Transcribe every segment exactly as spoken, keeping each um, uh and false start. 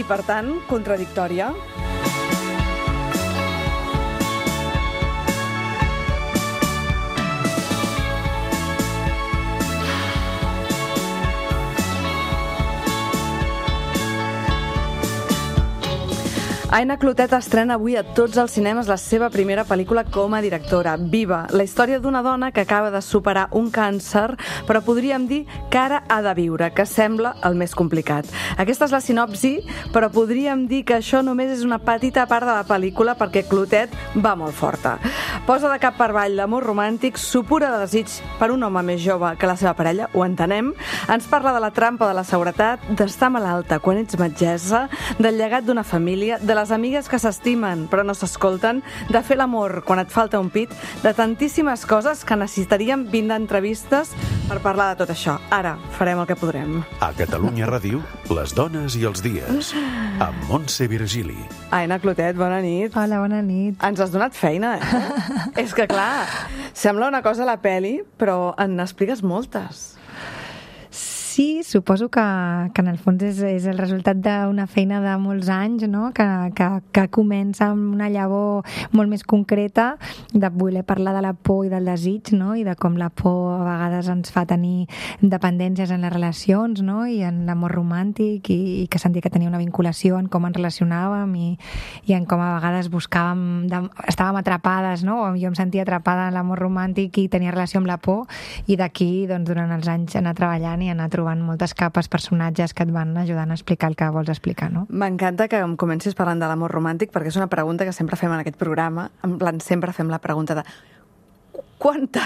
per tant, contradictòria. Aina Clotet estrena avui a tots els cinemes la seva primera pel·lícula com a directora, Viva, la història d'una dona que acaba de superar un càncer, però podríem dir que ara ha de viure, que sembla el més complicat. Aquesta és la sinopsi, però podríem dir que això només és una petita part de la pel·lícula perquè Clotet va molt forta. Posa de cap per avall l'amor romàntic, supura de desig per un home més jove que la seva parella, ho entenem, ens parla de la trampa de la seguretat, d'estar malalta quan ets metgessa, del llegat d'una família, de les amigues que s'estimen però no s'escolten, de fer l'amor quan et falta un pit, de tantíssimes coses que necessitaríem vint entrevistes per parlar de tot això. Ara farem el que podrem. A Catalunya Ràdio, les dones i els dies, amb Montse Virgili. Aina Clotet, bona nit. Hola, bona nit. Ens has donat feina, eh? És que, clar, sembla una cosa a la peli, però en n'expliques moltes. Sí, suposo que, que en el fons és, és el resultat d'una feina de molts anys, no? que, que, que comença amb una llavor molt més concreta de voler parlar de la por i del desig, no? I de com la por a vegades ens fa tenir dependències en les relacions, no? I en l'amor romàntic i, i que sentia que tenia una vinculació en com ens relacionàvem i, i en com a vegades buscàvem, de, estàvem atrapades, no? Jo em sentia atrapada en l'amor romàntic i tenia relació amb la por, i d'aquí, doncs, durant els anys anar treballant i anar trobant moltes capes, personatges que et van ajudant a explicar el que vols explicar, no? M'encanta que em comencis parlant de l'amor romàntic perquè és una pregunta que sempre fem en aquest programa. En plan, sempre fem la pregunta de quanta,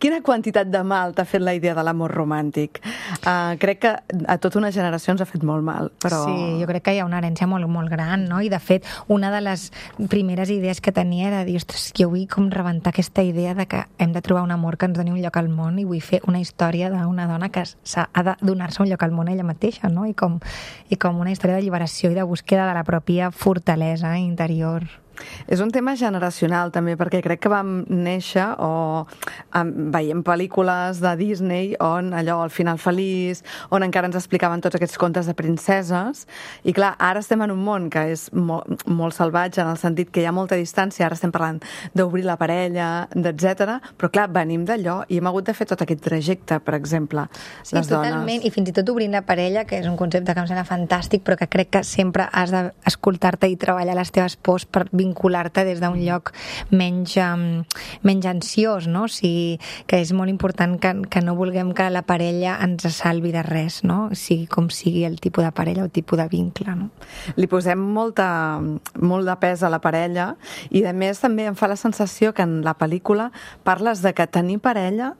quina quantitat de mal t'ha fet la idea de l'amor romàntic? Uh, crec que a tota una generació ens ha fet molt mal, però... Sí, jo crec que hi ha una herència molt, molt gran, no? I de fet, una de les primeres idees que tenia era dir, ostres, jo vull com rebentar aquesta idea de que hem de trobar un amor que ens doni un lloc al món, i vull fer una història d'una dona que ha de donar-se un lloc al món ella mateixa, no? I com, i com una història d'alliberació i de búsqueda de la pròpia fortalesa interior. És un tema generacional també, perquè crec que vam néixer o um, veiem pel·lícules de Disney on allò, el final feliç, on encara ens explicaven tots aquests contes de princeses, i clar, ara estem en un món que és molt, molt salvatge en el sentit que hi ha molta distància, ara estem parlant d'obrir la parella, etcètera, però clar, venim d'allò i hem hagut de fer tot aquest trajecte, per exemple, sí, les dones. Totalment, i fins i tot obrint la parella, que és un concepte que em sembla fantàstic, però que crec que sempre has d'escoltar-te i treballar les teves pors per vincular-te des d'un lloc menys, um, menys ansiós, no? O sigui, que és molt important que, que no vulguem que la parella ens salvi de res, no? Sigui com sigui el tipus de parella o tipus de vincle, no? Li posem molta, molt de pes a la parella i, a més, també em fa la sensació que en la pel·lícula parles de que tenir parella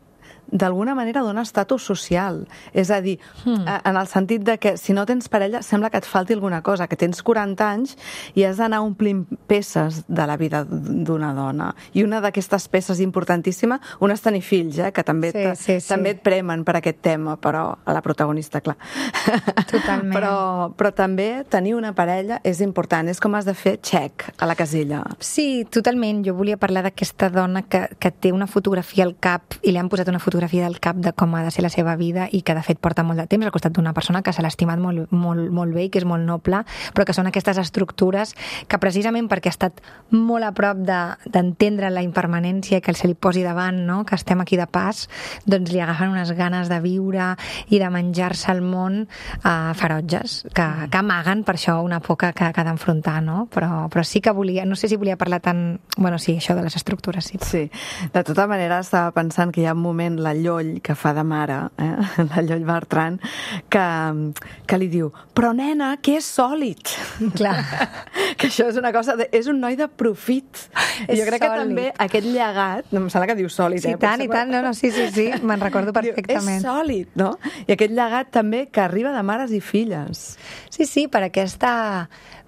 d'alguna manera dona estatus social. És a dir, hmm. en el sentit de que si no tens parella sembla que et falti alguna cosa, que tens quaranta anys i has d'anar omplint peces de la vida d'una dona. I una d'aquestes peces importantíssima, una és tenir fills, eh, que també, sí, sí, sí. també et premen per aquest tema, però a la protagonista, clar. Totalment. Però, però també tenir una parella és important, és com has de fer check a la casella. Sí, totalment. Jo volia parlar d'aquesta dona que, que té una fotografia al cap i li han posat una fotografia del cap de com ha de ser la seva vida i que de fet porta molt de temps al costat d'una persona que se l'ha estimat molt, molt, molt bé i que és molt noble, però que són aquestes estructures que precisament perquè ha estat molt a prop d'entendre de, la impermanència que se li posi davant, no? Que estem aquí de pas, doncs li agafen unes ganes de viure i de menjar-se el món eh, ferotges, que, que amaguen per això una por que, que ha d'enfrontar, no? Però, però sí que volia, no sé si volia parlar tant, bueno, sí, això de les estructures, sí. Sí, de tota manera estava pensant que hi ha un moment, la Lloll, que fa de mare, eh? La Lloll Bertran, que, que li diu, però nena, que és sòlid. Clar. Que això és una cosa, de, és un noi de profit. I jo crec sòlid. Que també aquest llegat, no em sembla que diu sòlid, sí, eh? Sí, tant i tant, no, no, sí, sí, sí, me'n recordo perfectament. Diu, és sòlid, no? I aquest llegat també que arriba de mares i filles. Sí, sí, per aquesta,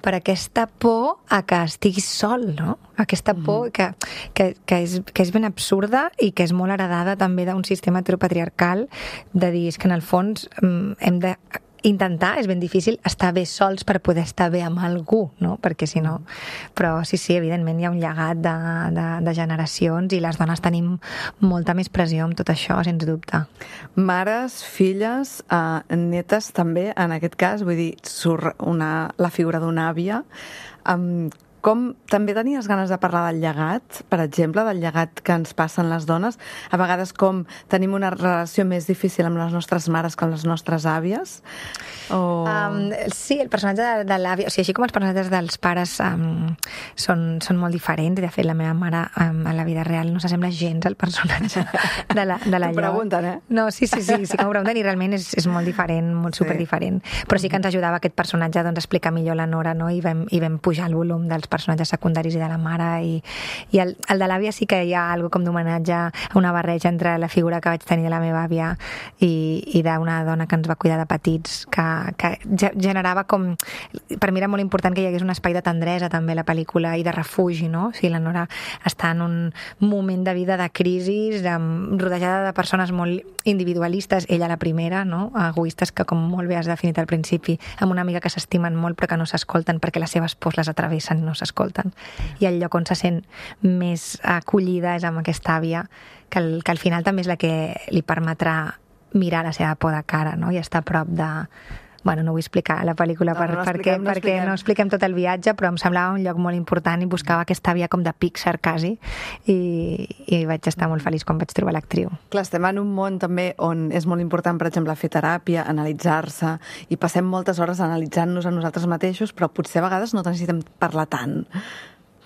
per aquesta por a que estiguis sol, no? Aquesta por mm. que, que, que, és, que és ben absurda i que és molt heredada també d'un sistema heteropatriarcal, de dir que en el fons hem de intentar, és ben difícil estar bé sols per poder estar bé amb algú, no? Perquè si no... Però sí, sí, evidentment hi ha un llegat de, de, de generacions i les dones tenim molta més pressió amb tot això, sens dubte. Mares, filles, eh, netes també, en aquest cas, vull dir, surt una, la figura d'una àvia. Um, com també tenies ganes de parlar del llegat, per exemple, del llegat que ens passen les dones? A vegades com tenim una relació més difícil amb les nostres mares que amb les nostres àvies? O... Um, sí, el personatge de, de l'àvia, o sigui, així com els personatges dels pares um, són, són molt diferents, i de fet la meva mare um, a la vida real no s'assembla gens al personatge de la, de la T'ho pregunten, eh? No, sí, sí, sí, sí que m'ho pregunten i realment és, és molt diferent, molt Sí. superdiferent. Però sí que ens ajudava aquest personatge doncs, a explicar millor la Nora, no? I vam, i vam pujar el volum dels personatges secundaris i de la mare, i, i el, el de l'àvia sí que hi ha algo com d'homenatge a una barreja entre la figura que vaig tenir de la meva àvia i, i d'una dona que ens va cuidar de petits, que, que generava com... Per mi era molt important que hi hagués un espai de tendresa també a la pel·lícula i de refugi, no? O sigui, la Nora està en un moment de vida de crisi, rodejada de persones molt individualistes, ella la primera, no? Egoistes, que com molt bé has definit al principi, amb una amiga que s'estimen molt però que no s'escolten perquè les seves pors les atravessen i no s'escolten. I el lloc on se sent més acollida és amb aquesta àvia, que, el, que al final també és la que li permetrà mirar la seva por de cara, no? I estar a prop de... Bueno, no vull explicar la pel·lícula per, no, no perquè, expliquem, no perquè expliquem. no expliquem tot el viatge, però em semblava un lloc molt important i buscava aquesta àvia com de Pixar quasi, i, i vaig estar molt feliç quan vaig trobar l'actriu. Clar, estem en un món també on és molt important, per exemple, fer teràpia, analitzar-se, i passem moltes hores analitzant-nos a nosaltres mateixos, però potser a vegades no necessitem parlar tant.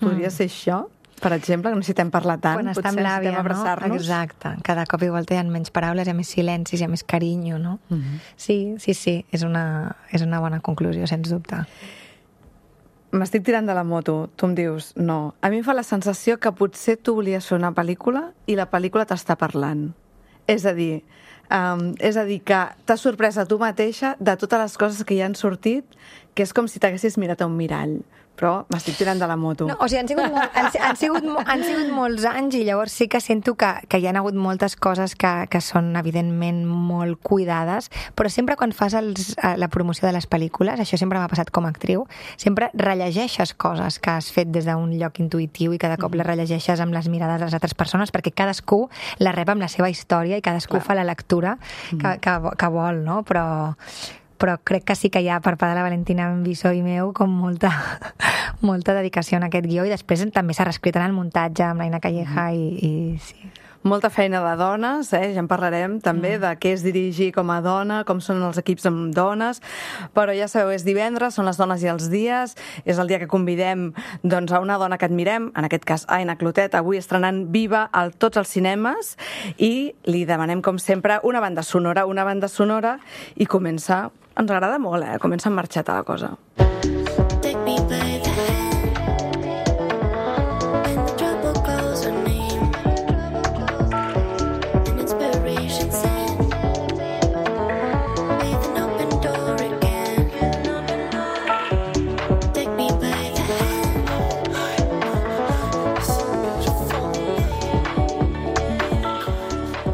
Podria ser això? Per exemple, que necessitem parlar tant, Quan està potser amb l'àvia, necessitem no? abraçar-nos. Exacte. Cada cop igual hi ha menys paraules, hi ha més silencis, hi ha més carinyo, no? Uh -huh. Sí, sí, sí, és una, és una bona conclusió, sens dubte. M'estic tirant de la moto, tu em dius, no. A mi em fa la sensació que potser tu volies fer una pel·lícula i la pel·lícula t'està parlant. És a dir, um, és a dir que t'has sorprès a tu mateixa de totes les coses que hi han sortit, que és com si t'haguessis mirat a un mirall. Però m'estic tirant de la moto. No, o sigui, han sigut, molt, han, han, sigut, han sigut molts anys i llavors sí que sento que, que hi ha hagut moltes coses que, que són evidentment molt cuidades, però sempre quan fas els, la promoció de les pel·lícules, això sempre m'ha passat com a actriu, sempre rellegeixes coses que has fet des d'un lloc intuïtiu i cada cop les rellegeixes amb les mirades de les altres persones, perquè cadascú la rep amb la seva història i cadascú Clar. fa la lectura que, que, que vol, no? Però... però crec que sí que hi ha per part de la Valentina Bisó i meu com molta, molta dedicació en aquest guió, i després també s'ha reescrit en el muntatge amb l'Aina Calleja i, i sí. Molta feina de dones, eh? Ja en parlarem també mm. de què és dirigir com a dona, com són els equips amb dones, però ja sabeu, és divendres, són les dones i els dies, és el dia que convidem doncs, a una dona que admirem, en aquest cas Aina Clotet, avui estrenant Viva a tots els cinemes, i li demanem, com sempre, una banda sonora, una banda sonora, i comença, ens agrada molt, eh? Comença en marxeta la cosa. Take me by the hand.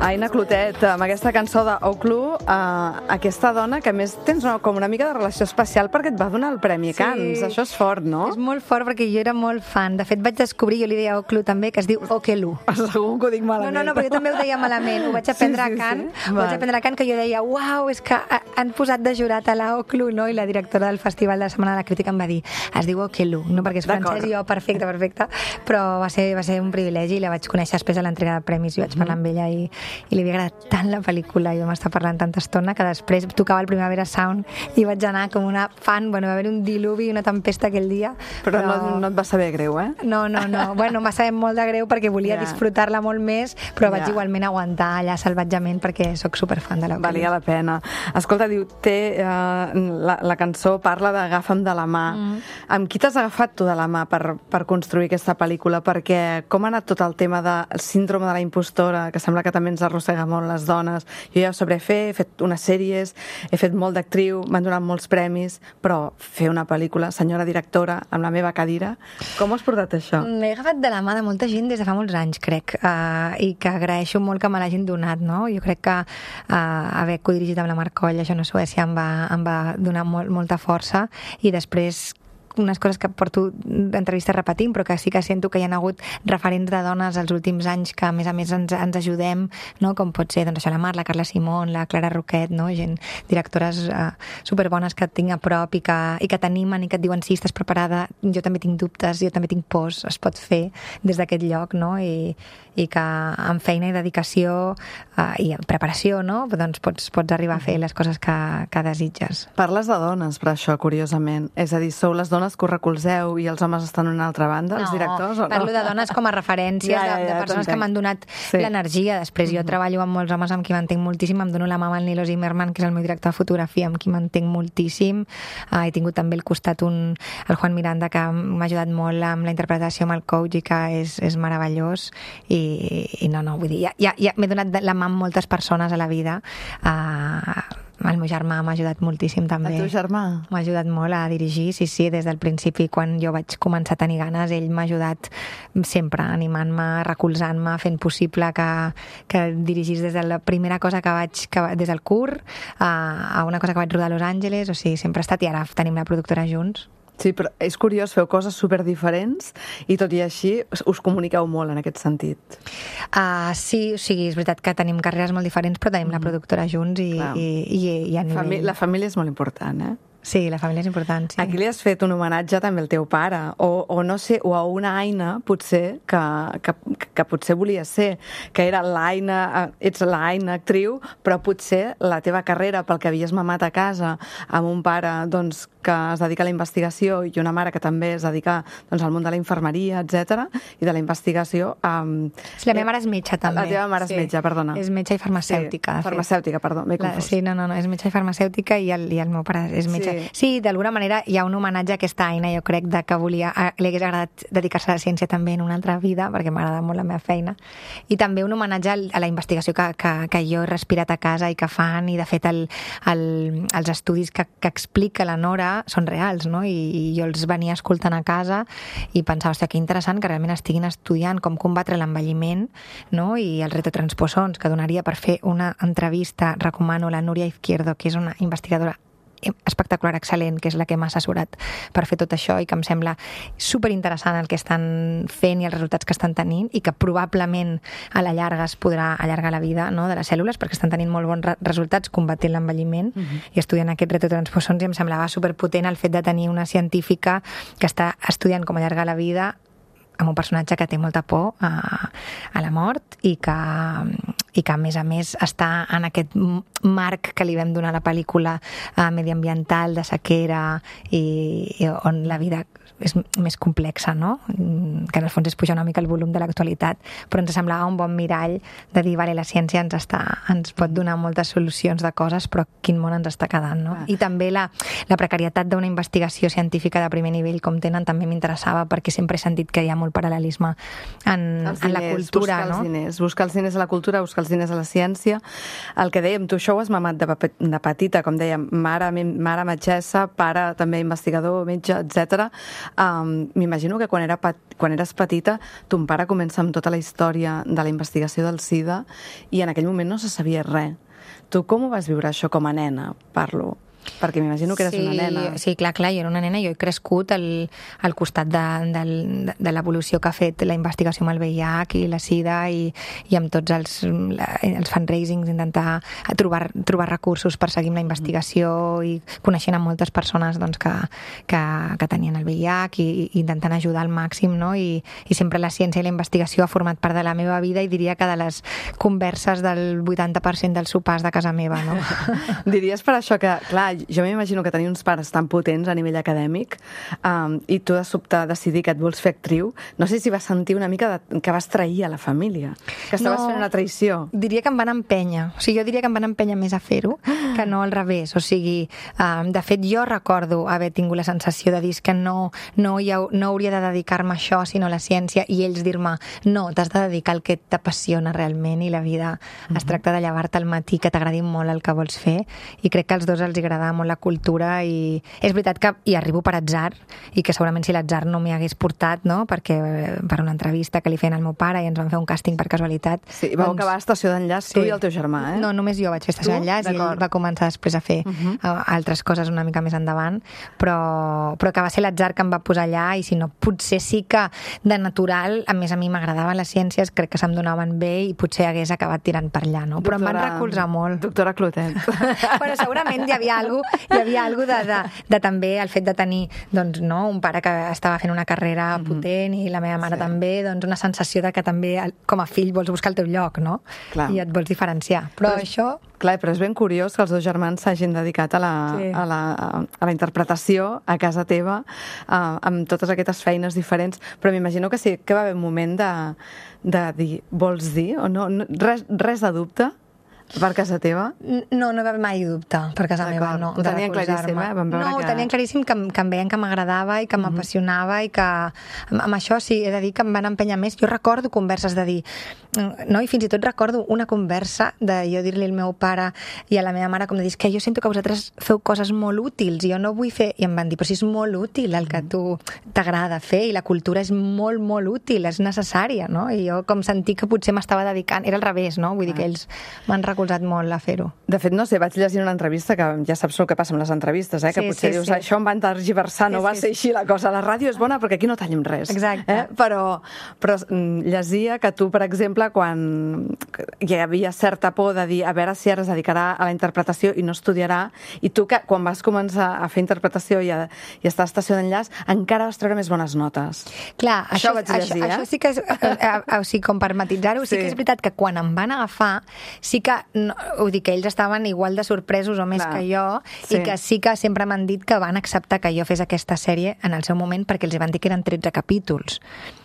Aina Clotet, amb aquesta cançó d'Oclu, eh, aquesta dona que a més tens una, com una mica de relació especial perquè et va donar el Premi Sí. Cannes. Això és fort, no? És molt fort perquè jo era molt fan. De fet, vaig descobrir, jo li deia a Oclu també, que es diu Okelu. Segur que ho dic No, malament. no, no, perquè jo també ho deia malament. Ho vaig aprendre Sí, sí, a Cannes, sí. ho vaig Val. aprendre a Cannes, que jo deia, uau, és que ha- han posat de jurat a la Oclu, no? I la directora del Festival de la Setmana de la Crítica em va dir, es diu Okelu, no? Perquè és D'acord. francès i jo, perfecte, perfecte. Però va ser, va ser un privilegi i la vaig conèixer després de l'entrega de premis i vaig parlar amb ella i, i li havia agradat tant la pel·lícula i vam estar parlant tanta estona que després tocava el Primavera Sound i vaig anar com una fan, bueno, va haver un diluvi i una tempesta aquell dia. Però, però... No, no et va saber greu, eh? No, no, no. Bueno, m'ha sabut molt de greu perquè volia Ja. disfrutar-la molt més, però vaig Ja. igualment aguantar allà salvatgement perquè sóc superfan de la Valia la pena. Escolta, diu, té, eh, la, la cançó parla d'Agafa'm de la mà. Mm. Amb qui t'has agafat tu de la mà per, per construir aquesta pel·lícula? Perquè com ha anat tot el tema del síndrome de la impostora, que sembla que també ens ens arrossega molt les dones. Jo ja ho sabré fer, he fet unes sèries, he fet molt d'actriu, m'han donat molts premis, però fer una pel·lícula, senyora directora, amb la meva cadira, com ho has portat això? M'he agafat de la mà de molta gent des de fa molts anys, crec, uh, i que agraeixo molt que me l'hagin donat, no? Jo crec que uh, haver codirigit amb la Mar Coll, això no Suècia, em va, em va donar molt, molta força, i després unes coses que porto d'entrevistes repetint, però que sí que sento que hi ha hagut referents de dones als últims anys que a més a més ens, ens ajudem, no? Com pot ser doncs, això, la Mar, la Carla Simón, la Clara Roquet, no? Gent, directores uh, superbones que tinc a prop i que, i que t'animen i que et diuen sí, estàs preparada, jo també tinc dubtes, jo també tinc pors, es pot fer des d'aquest lloc, no? I, i que amb feina i dedicació uh, i amb preparació, no? Doncs pots, pots arribar a fer les coses que, que desitges. Parles de dones, per això, curiosament. És a dir, sou les dones que ho recolzeu i els homes estan en una altra banda, els no, directors, o no? Parlo de dones com a referències, ja, ja, ja, de, de persones que m'han donat sí. l'energia. Després jo mm-hmm. treballo amb molts homes amb qui m'entenc moltíssim, em dono la mà amb el Nilo Zimmerman, que és el meu director de fotografia, amb qui m'entenc moltíssim. Uh, he tingut també al costat un, el Juan Miranda, que m'ha ajudat molt amb la interpretació, amb el coach, i que és, és meravellós. I, i no, no, vull dir, ja, ja, ja m'he donat la mà amb moltes persones a la vida. Uh, El meu germà m'ha ajudat moltíssim també. El teu germà? M'ha ajudat molt a dirigir, sí, sí, des del principi, quan jo vaig començar a tenir ganes, ell m'ha ajudat sempre, animant-me, recolzant-me, fent possible que, que dirigís des de la primera cosa que vaig, que, des del curt a, a una cosa que vaig rodar a Los Angeles, o sigui, sempre ha estat, i ara tenim la productora junts. Sí, però és curiós, feu coses superdiferents i tot i així us comuniqueu molt en aquest sentit. Uh, sí, o sigui, és veritat que tenim carreres molt diferents, però tenim mm. la productora junts i, i, i, i a nivell... Famí la família és molt important, eh? Sí, la família és important, sí. Aquí li has fet un homenatge també al teu pare, o, o no sé, o a una Aina, potser, que, que, que potser volia ser, que era l'Aina, ets l'Aina actriu, però potser la teva carrera, pel que havies mamat a casa, amb un pare, doncs, que es dedica a la investigació i una mare que també es dedica doncs, al món de la infermeria, etcètera, i de la investigació... Um, sí, la meva mare és metge, també. La teva mare és sí. metge, perdona. És metge i farmacèutica. Sí, farmacèutica, perdó, m'he confós. Sí, no, no, no, és metge i farmacèutica i el, i el meu pare és metge. Sí, sí d'alguna manera hi ha un homenatge a aquesta Aina, jo crec, de que volia, li hagués agradat dedicar-se a la ciència també en una altra vida, perquè m'agrada molt la meva feina. I també un homenatge a la investigació que, que, que jo he respirat a casa i que fan, i de fet el, el, els estudis que, que explica la Nora són reals, no? I, i jo els venia escoltant a casa i pensava, hòstia, que interessant que realment estiguin estudiant com combatre l'envelliment, no? I els retotransposons, que donaria per fer una entrevista. Recomano la Núria Izquierdo, que és una investigadora espectacular, excel·lent, que és la que m'ha assessorat per fer tot això i que em sembla superinteressant el que estan fent i els resultats que estan tenint, i que probablement a la llarga es podrà allargar la vida, no?, de les cèl·lules, perquè estan tenint molt bons re resultats combatent l'envelliment uh-huh. i estudiant aquests retotransposons, i em semblava superpotent el fet de tenir una científica que està estudiant com allargar la vida amb un personatge que té molta por a, a la mort i que, i que a més a més està en aquest marc que li vam donar a la pel·lícula eh, mediambiental, de sequera, i, i on la vida és més complexa, no? Que en el fons és pujar una mica el volum de l'actualitat, però ens semblava un bon mirall de dir, vale, la ciència ens, està, ens pot donar moltes solucions de coses, però quin món ens està quedant, no? Ah. I també la, la precarietat d'una investigació científica de primer nivell com tenen també m'interessava, perquè sempre he sentit que hi ha molt paral·lelisme en, diners, en la cultura, buscar no? Els diners, buscar els diners a la cultura, buscar els diners a la ciència. El que dèiem, tu això ho has mamat de, de petita, com dèiem, mare, mare metgessa, pare també investigador, metge, etcètera. Um, m'imagino que quan, era quan eres petita ton pare comença amb tota la història de la investigació del SIDA i en aquell moment no se sabia res. Tu com ho vas viure això com a nena? Parlo... Perquè m'imagino que eres sí, una nena. Sí, clar, clar, jo era una nena, jo he crescut al, al costat de, de, de l'evolució que ha fet la investigació amb el V I H i la SIDA i, i amb tots els, la, els fundraisings, intentar trobar, trobar recursos per seguir amb la investigació i coneixent amb moltes persones doncs, que, que, que tenien el V I H i, i intentant ajudar al màxim, no? I, i sempre la ciència i la investigació ha format part de la meva vida i diria que de les converses del vuitanta per cent dels sopars de casa meva, no? Diries per això que, clar, clar, jo m'imagino que tenir uns pares tan potents a nivell acadèmic um, i tu de sobte decidir que et vols fer actriu, no sé si vas sentir una mica de, que vas trair a la família, que estaves No, fent una traïció. Diria que em van empènyer. O sigui, jo diria que em van empènyer més a fer-ho que no al revés. O sigui, um, de fet, jo recordo haver tingut la sensació de dir que no, no, hi ha, no hauria de dedicar-me a això, sinó a la ciència, i ells dir-me, no, t'has de dedicar al que t'apassiona realment, i la vida mm-hmm. es tracta de llevar-te al matí, que t'agradi molt el que vols fer, i crec que als dos els agradava molt la cultura, i és veritat que hi arribo per atzar, i que segurament si l'atzar no m'hi hagués portat, no?, perquè per una entrevista que li feien al meu pare i ens van fer un càsting per casualitat. Sí, i vau doncs... acabar a Estació d'Enllaç, sí. Tu i el teu germà, eh? No, només jo vaig fer Estació d'Enllaç i ell va començar després a fer uh-huh. altres coses una mica més endavant, però, però que va ser l'atzar que em va posar allà, i si no, potser sí que de natural, a més a mi m'agradaven les ciències, crec que se'm donaven bé i potser hagués acabat tirant per allà, no? Però doctora, em van recolzar molt. Doctora Clotet. Bueno, segurament hi havia alguna cosa, hi havia alguna de, de, de també el fet de tenir doncs, no, un pare que estava fent una carrera uh-huh. potent i la meva mare sí. també, doncs una sensació de que també com a fill vols buscar el teu lloc, no? Clar. I et vols diferenciar. Però, però això... Clar, però és ben curiós que els dos germans s'hagin dedicat a la, sí. a, la, a la interpretació a casa teva, uh, amb totes aquestes feines diferents, però m'imagino que sí que va haver un moment de, de dir, vols dir? O no, no res, res de dubte? Per casa teva? No, no va haver mai dubte per casa meva, no. Ho tenien claríssim, eh? Vam veure no, que... ho tenien claríssim que, que em veien que m'agradava i que mm-hmm. m'apassionava i que amb, amb això sí, he de dir que em van empènyer més. Jo recordo converses de dir, no? I fins i tot recordo una conversa de jo dir-li al meu pare i a la meva mare com de dir, que jo sento que vosaltres feu coses molt útils i jo no vull fer... I em van dir, però si és molt útil el que tu t'agrada fer i la cultura és molt, molt útil, és necessària, no? I jo com sentir que potser m'estava dedicant... Era al revés, no? Vull dir que ells m'han recolzat molt a fer-ho. De fet, no sé, vaig llegir una entrevista, que ja saps el que passa amb les entrevistes, eh? Que sí, potser sí, dius, sí. això em van tergiversar, no sí, va sí, ser així la cosa. La ràdio és bona perquè aquí no tallem res. Exacte. Eh? Però, però llegia que tu, per exemple, quan hi havia certa por de dir a veure si ara es dedicarà a la interpretació i no estudiarà, i tu que quan vas començar a fer interpretació i a, i a estar a Estació d'Enllaç, encara vas treure més bones notes. Clar, això, això, vaig llegir, això, eh? això sí que és, o sigui, com per matitzar-ho, sí. sí que és veritat que quan em van agafar, sí que no, vull dir que ells estaven igual de sorpresos o més Clar. que jo, sí. i que sí que sempre m'han dit que van acceptar que jo fes aquesta sèrie en el seu moment perquè els van dir que eren tretze capítols,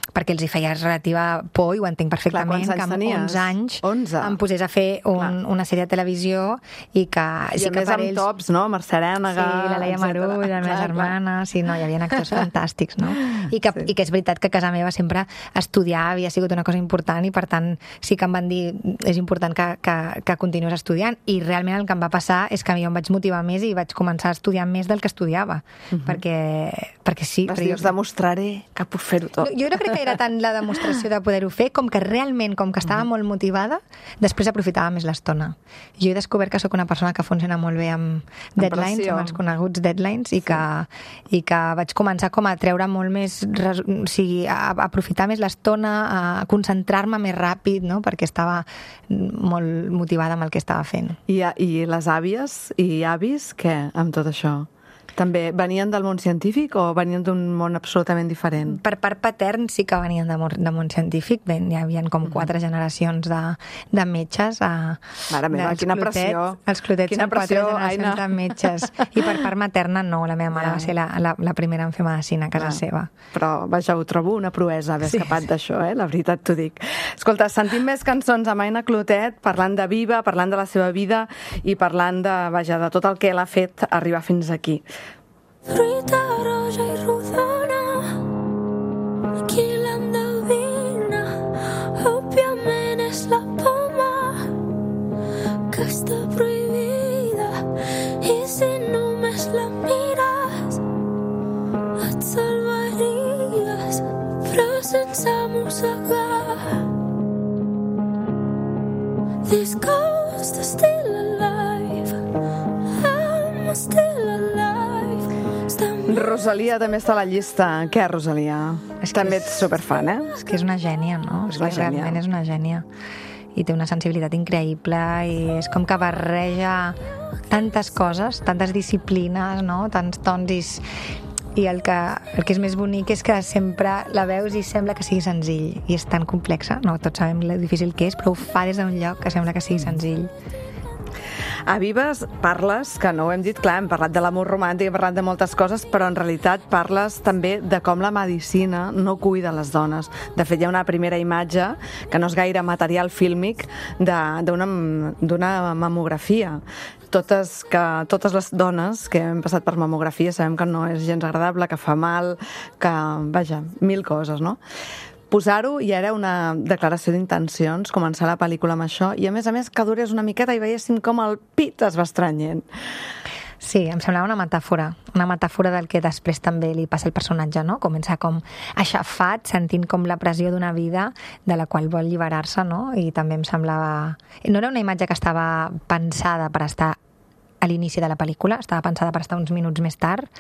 perquè els hi feia relativa por, i ho entenc perfectament. Clar, que amb onze anys onze em posés a fer un, una sèrie de televisió i que... I sí a que més amb ells... tops, no? Mercè Arènega... Sí, la Laia Marull, la meva germana... Sí, no, hi havia actors fantàstics, no? I que, sí. I que és veritat que a casa meva sempre estudiar havia sigut una cosa important i, per tant, sí que em van dir és important que, que, que continuïs estudiant, i realment el que em va passar és que jo em vaig motivar més i vaig començar a estudiar més del que estudiava, uh-huh. perquè, perquè sí... Vas dir, us demostraré que puc fer-ho tot. Jo no crec que era tant la demostració de poder-ho fer, com que realment, com que estava molt motivada, després aprofitava més l'estona. Jo he descobert que sóc una persona que funciona molt bé amb deadlines, amb els coneguts deadlines, i, sí. que, i que vaig començar com a treure molt més, o sigui, a, a aprofitar més l'estona, a concentrar-me més ràpid, no? Perquè estava molt motivada amb el que estava fent. I, i les àvies i avis, què, amb tot això? També venien del món científic o venien d'un món absolutament diferent? Per part patern sí que venien de món, de món científic. Ben, hi havia com quatre generacions de, de metges. A, Mare meva, quina clotets, pressió. Els clotets quina són pressió, quatre generacions Aina. de metges. I per part materna no, la meva mare ja. va ser la, la, la primera en fer medicina a casa ja. seva. Però, vaja, ho trobo una proesa haver sí. escapat d'això, eh? La veritat t'ho dic. Escolta, sentim més cançons amb Aina Clotet, parlant de Viva, parlant de la seva vida i parlant de, vaja, de tot el que l'ha fet arribar fins aquí. Fruita roja i rodona, qui l'endevina? Òbviament és la poma que està prohibida, i si només la mires et salvaries, però sense mossegar. This ghost is still alive, I'm still alive. Rosalia també està a la llista. Què, Rosalia? És també és, ets superfan, eh? És que és una gènia, no? És És una que gènia. realment és una gènia. I té una sensibilitat increïble i és com que barreja tantes coses, tantes disciplines, no? Tants tons i... I el que, el que és més bonic és que sempre la veus i sembla que sigui senzill. I és tan complexa, no? Tots sabem lo difícil que és, però ho fa des d'un lloc que sembla que sigui senzill. A Vives parles, que no ho hem dit, clar, hem parlat de l'amor romàntic, hem parlat de moltes coses, però en realitat parles també de com la medicina no cuida les dones. De fet, hi ha una primera imatge, que no és gaire material fílmic, d'una mamografia. Totes, que, totes les dones que hem passat per mamografia sabem que no és gens agradable, que fa mal, que, vaja, mil coses, no? Posar-ho ja era una declaració d'intencions, començar la pel·lícula amb això, i a més a més que durés una miqueta i veiéssim com el pit es va estrenyent. Sí, em semblava una metàfora, una metàfora del que després també li passa al personatge, no? Comença com aixafat, sentint com la pressió d'una vida de la qual vol alliberar-se, no? I també em semblava... No era una imatge que estava pensada per estar a l'inici de la pel·lícula, estava pensada per estar uns minuts més tard,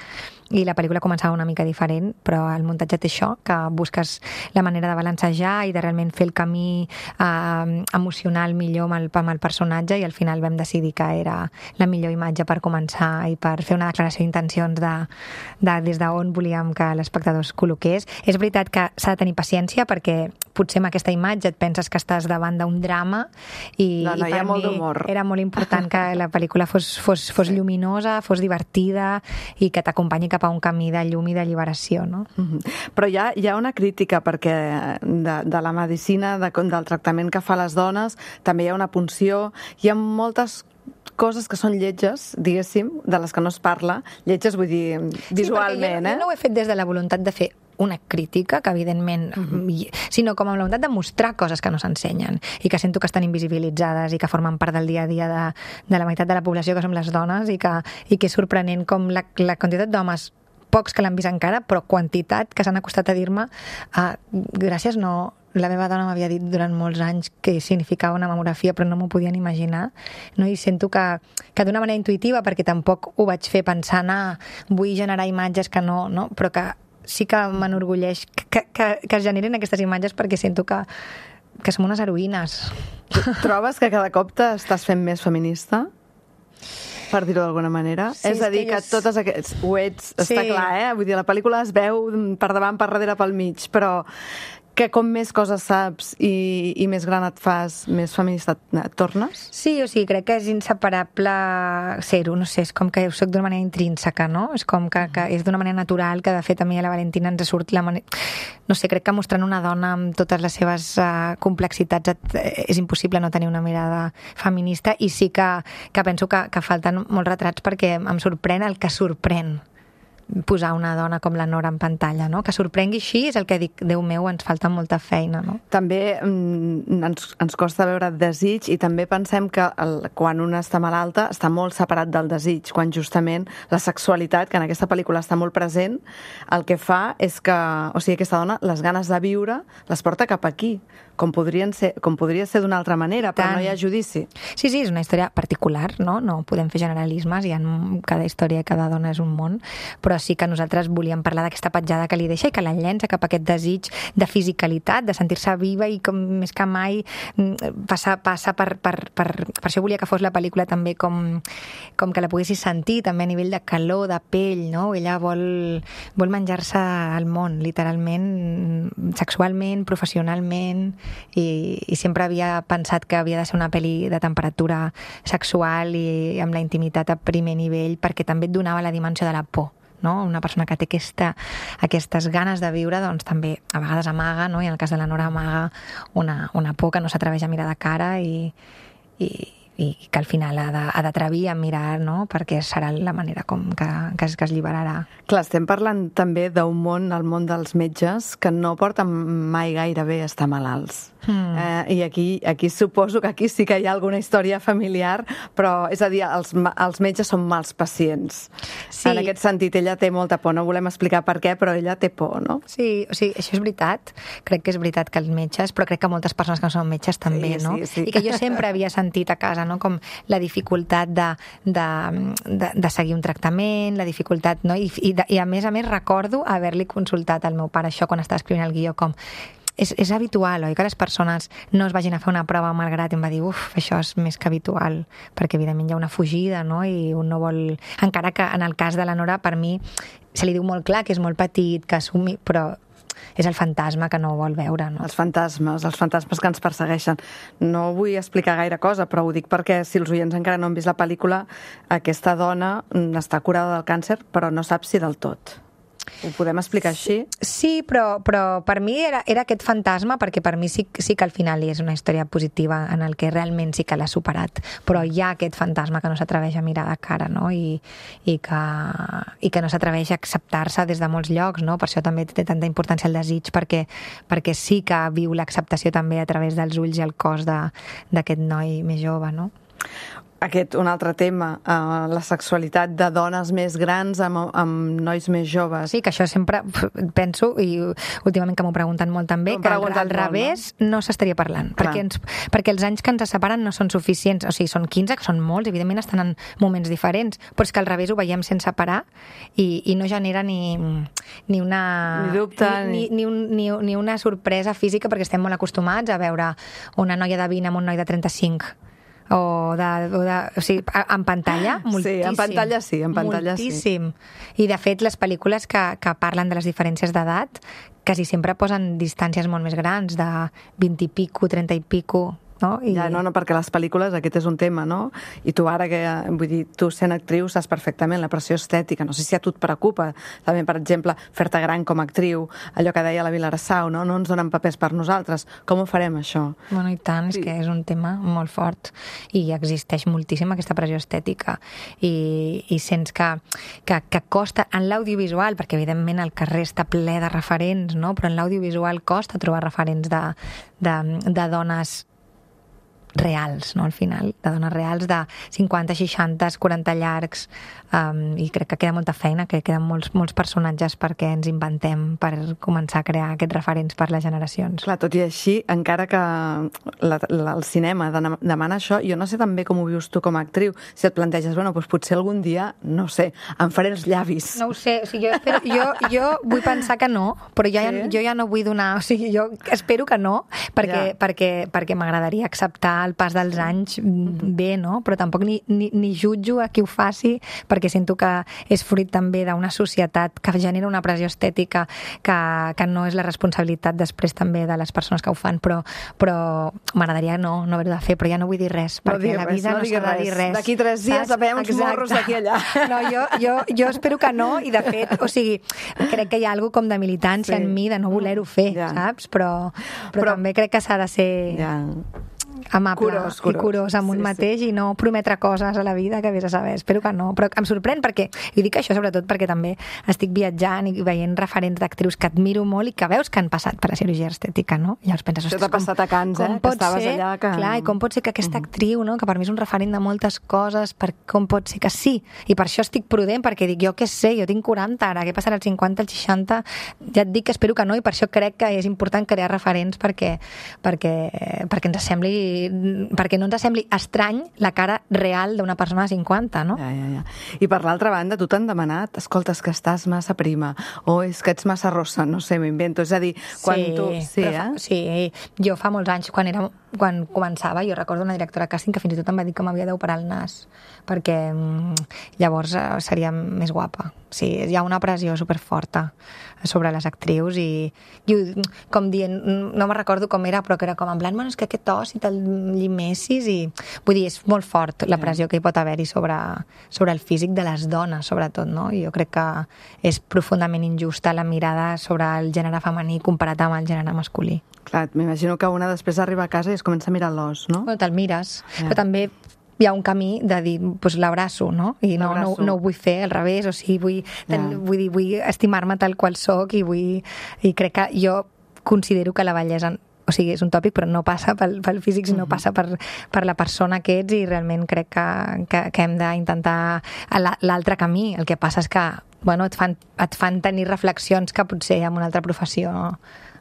i la pel·lícula començava una mica diferent, però el muntatge té això, que busques la manera de balancejar i de realment fer el camí eh, emocional millor amb el, amb el personatge, i al final vam decidir que era la millor imatge per començar i per fer una declaració d'intencions de, de des d'on volíem que l'espectador es col·loqués. És veritat que s'ha de tenir paciència, perquè potser amb aquesta imatge et penses que estàs davant d'un drama, i, no, no, i per mi era molt important que la pel·lícula fos, fos, fos lluminosa, fos divertida i que t'acompanyi cap a un camí de llum i d'alliberació, no? Mm-hmm. Però hi ha, hi ha una crítica, perquè de, de la medicina, de, del tractament que fa les dones, també hi ha una punció, hi ha moltes coses que són lletges, diguéssim, de les que no es parla. Lletges vull dir visualment, sí, jo, eh? Jo no ho he fet des de la voluntat de fer una crítica, que evidentment, uh-huh. sinó com amb la voluntat de mostrar coses que no s'ensenyen i que sento que estan invisibilitzades i que formen part del dia a dia de, de la meitat de la població, que som les dones, i que, i que és sorprenent com la, la quantitat d'homes, pocs que l'han vist encara, però quantitat que s'han acostat a dir-me uh, gràcies, no... La meva dona m'havia dit durant molts anys que significava una mamografia, però no m'ho podien imaginar, no? I sento que, que d'una manera intuïtiva, perquè tampoc ho vaig fer pensant, ah, vull generar imatges que no, no? Però que sí que m'enorgulleix que, que, que es generin aquestes imatges, perquè sento que, que som unes heroïnes. Trobes que cada cop t'estàs fent més feminista? Per dir-ho d'alguna manera. Sí, és a dir, que, que totes aquests... Ho ets, sí. Està clar, eh? Vull dir, la pel·lícula es veu per davant, per darrere, pel mig, però que com més coses saps i, i més gran et fas, més feminista et tornes? Sí, o sigui, crec que és inseparable ser-ho, no sé, és com que ho soc d'una manera intrínseca, no? És com que, que és d'una manera natural, que de fet a mi a la Valentina ens surt la manera... No sé, crec que mostrant una dona amb totes les seves uh, complexitats et, és impossible no tenir una mirada feminista, i sí que, que penso que, que falten molts retrats, perquè em sorprèn el que sorprèn posar una dona com la Nora en pantalla, no? Que sorprengui així és el que dic, Déu meu, ens falta molta feina, no? També mm, ens, ens costa veure desig, i també pensem que el, quan una està malalta està molt separat del desig, quan justament la sexualitat, que en aquesta pel·lícula està molt present, el que fa és que, o sigui, aquesta dona, les ganes de viure les porta cap aquí, com, podrien ser, com podria ser d'una altra manera, però no hi ha judici. Sí, sí, és una història particular, no? No podem fer generalismes, i en cada història i cada dona és un món, però sí que nosaltres volíem parlar d'aquesta petjada que li deixa i que la llença cap a aquest desig de fisicalitat, de sentir-se viva, i com més que mai passa, passa per, per, per... Per això volia que fos la pel·lícula també com, com que la poguessis sentir, també a nivell de calor, de pell, no? Ella vol, vol menjar-se el món, literalment, sexualment, professionalment, i, i sempre havia pensat que havia de ser una pel·li de temperatura sexual i amb la intimitat a primer nivell, perquè també et donava la dimensió de la por, no? Una persona que té aquesta, aquestes ganes de viure, doncs també a vegades amaga, no? I en el cas de la Nora amaga una, una por que no s'atreveix a mirar de cara, i, i, i que al final ha d'atrevir a mirar, no? Perquè serà la manera com que, que, es, que es lliberarà. Clar, estem parlant també d'un món, el món dels metges, que no porten mai gaire bé estar malalts. Mm. Eh, I aquí, aquí suposo que aquí sí que hi ha alguna història familiar, però és a dir, els, els metges són mals pacients. Sí. En aquest sentit, ella té molta por, no volem explicar per què, però ella té por, no? Sí, o sigui, això és veritat, crec que és veritat que els metges, però crec que moltes persones que no són metges també, sí, no? Sí, sí. I que jo sempre havia sentit a casa, no? Com la dificultat de, de, de, de seguir un tractament, la dificultat, no? I, i, de, i a més a més recordo haver-li consultat al meu pare això quan estava escrivint el guió, com És, és habitual, oi, que les persones no es vagin a fer una prova malgrat, i em va dir, uf, això és més que habitual, perquè evidentment hi ha una fugida, no?, i un no vol... Encara que en el cas de la Nora, per mi, se li diu molt clar que és molt petit, que assumi, però és el fantasma que no vol veure, no? Els fantasmes, els fantasmes que ens persegueixen. No vull explicar gaire cosa, però ho dic perquè si els oients encara no han vist la pel·lícula, aquesta dona està curada del càncer, però no sap si del tot. Ho podem explicar així? Sí, però, però per mi era, era aquest fantasma, perquè per mi sí, sí que al final és una història positiva en el que realment sí que l'ha superat, però hi ha aquest fantasma que no s'atreveix a mirar de cara, no? I, i, que, i que no s'atreveix a acceptar-se des de molts llocs, no? Per això també té tanta importància el desig, perquè, perquè sí que viu l'acceptació també a través dels ulls i el cos d'aquest noi més jove, no? Aquest, un altre tema, uh, la sexualitat de dones més grans amb, amb nois més joves. Sí, que això sempre penso, i últimament que m'ho pregunten molt també, que al, al revés molt, no, no s'estaria parlant, perquè, ens, perquè els anys que ens separen no són suficients, o sigui, són quinze, que són molts, evidentment estan en moments diferents, però és que al revés ho veiem sense parar i, i no genera ni, ni una... Ni dubte. Ni, ni, ni, un, ni, ni una sorpresa física, perquè estem molt acostumats a veure una noia de vint amb un noi de trenta-cinc, o, de, o, de, o sigui, en pantalla, moltíssim. Sí, en pantalla sí, en pantalla moltíssim. Sí. I de fet, les pel·lícules que, que parlen de les diferències d'edat quasi sempre posen distàncies molt més grans, de vint i pico, trenta i pico, no? I... Ja, no, no, perquè les pel·lícules, aquest és un tema, no? I tu ara, que, vull dir, tu sent actriu saps perfectament la pressió estètica, no sé si a tu et preocupa, també, per exemple, fer-te gran com a actriu, allò que deia la Vilarsau, no? No ens donen papers per nosaltres, com ho farem, això? Bueno, i tant, és sí. que és un tema molt fort i existeix moltíssim aquesta pressió estètica i, i sents que, que, que costa en l'audiovisual, perquè evidentment el carrer està ple de referents, no? Però en l'audiovisual costa trobar referents de, de, de dones reals, no? Al final, de dones reals de cinquanta, seixanta, quaranta llargs, um, i crec que queda molta feina, que queden molts, molts personatges perquè ens inventem per començar a crear aquests referents per les generacions. Clar, tot i així, encara que la, la, el cinema demana això, jo no sé també com ho vius tu com a actriu, si et planteges, bueno, doncs potser algun dia, no sé, em faré els llavis. No ho sé, o sigui, jo, espero, jo, jo vull pensar que no, però jo, sí? ja, jo ja no vull donar, o sigui, jo espero que no, perquè, ja. perquè, perquè m'agradaria acceptar el pas dels anys bé, no? Però tampoc ni, ni, ni jutjo a qui ho faci, perquè sento que és fruit també d'una societat que genera una pressió estètica que, que no és la responsabilitat després també de les persones que ho fan, però, però m'agradaria no, no haver-ho de fer, però ja no vull dir res, no perquè la vida no, no s'ha de dir res. D'aquí tres dies veiem uns morros d'aquí allà. No, jo, jo, jo espero que no, i de fet, o sigui, crec que hi ha alguna com de militància sí. en mi de no voler-ho fer, ja. saps? Però, però, però també crec que s'ha de ser... Ja. amable curós, curós. i curós amb un sí, mateix sí. i no prometre coses a la vida que vés a saber, espero que no, però em sorprèn perquè, i dic això sobretot perquè també estic viatjant i veient referents d'actrius que admiro molt i que veus que han passat per la cirurgia estètica, no? I llavors penses, això t'ha passat a Cans, eh? Que estaves ser, allà que... Clar, i com pot ser que aquesta actriu, no? Que per mi és un referent de moltes coses, per com pot ser que sí, i per això estic prudent, perquè dic, jo què sé, jo tinc quaranta ara, què passarà als cinquanta, als seixanta, ja et dic que espero que no, i per això crec que és important crear referents perquè, perquè, perquè ens sembli perquè no ens sembli estrany la cara real d'una persona de cinquanta, no? Ja, ja, ja. I per l'altra banda, tu t'han demanat, escolta, és que estàs massa prima, o és que ets massa rossa, no sé, m'invento. És a dir, quan sí, tu... Sí, eh? fa, sí, jo fa molts anys, quan, era, quan començava, jo recordo una directora de càsting que fins i tot em va dir que m'havia d'operar el nas, perquè llavors seria més guapa. Sí, hi ha una pressió superforta sobre les actrius i, i com dient, no me recordo com era, però que era com en plan, bueno, és que aquest os i te'l llimessis i... Vull dir, és molt fort la pressió que hi pot haver-hi sobre, sobre el físic de les dones, sobretot, no? I jo crec que és profundament injusta la mirada sobre el gènere femení comparat amb el gènere masculí. Clar, m'imagino que una després arriba a casa i es comença a mirar l'os, no? Bueno, te'l mires, ja. Però també hi ha un camí de dir, doncs l'abraço, no? I no, no, no ho vull fer al revés, o sigui, vull, ten, ja. vull, dir, vull estimar-me tal qual soc i vull... I crec que jo considero que la bellesa, o sigui, és un tòpic, però no passa pel, pel físic, sinó uh-huh. passa per, per la persona que ets, i realment crec que, que, que hem d'intentar l'altre camí. El que passa és que, bueno, et fan, et fan tenir reflexions que potser en una altra professió no,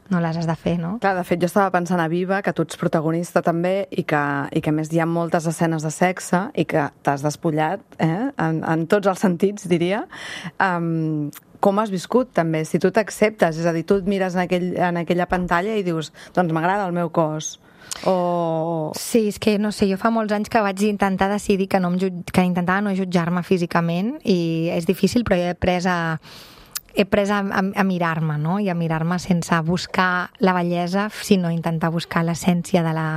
no les has de fer, no? Clar, de fet, jo estava pensant a Viva, que tu ets protagonista també, i que, i que a més hi ha moltes escenes de sexe, i que t'has despullat, eh? en, en tots els sentits, diria. Um, com has viscut, també? Si tu t'acceptes, és a dir, tu et mires en, aquell, en aquella pantalla i dius, doncs m'agrada el meu cos. O... Sí, és que no sé, jo fa molts anys que vaig intentar decidir que, no em jutj... que intentava no jutjar-me físicament, i és difícil, però he après a he pres a, a, a mirar-me, no? I a mirar-me sense buscar la bellesa, sinó intentar buscar l'essència de la,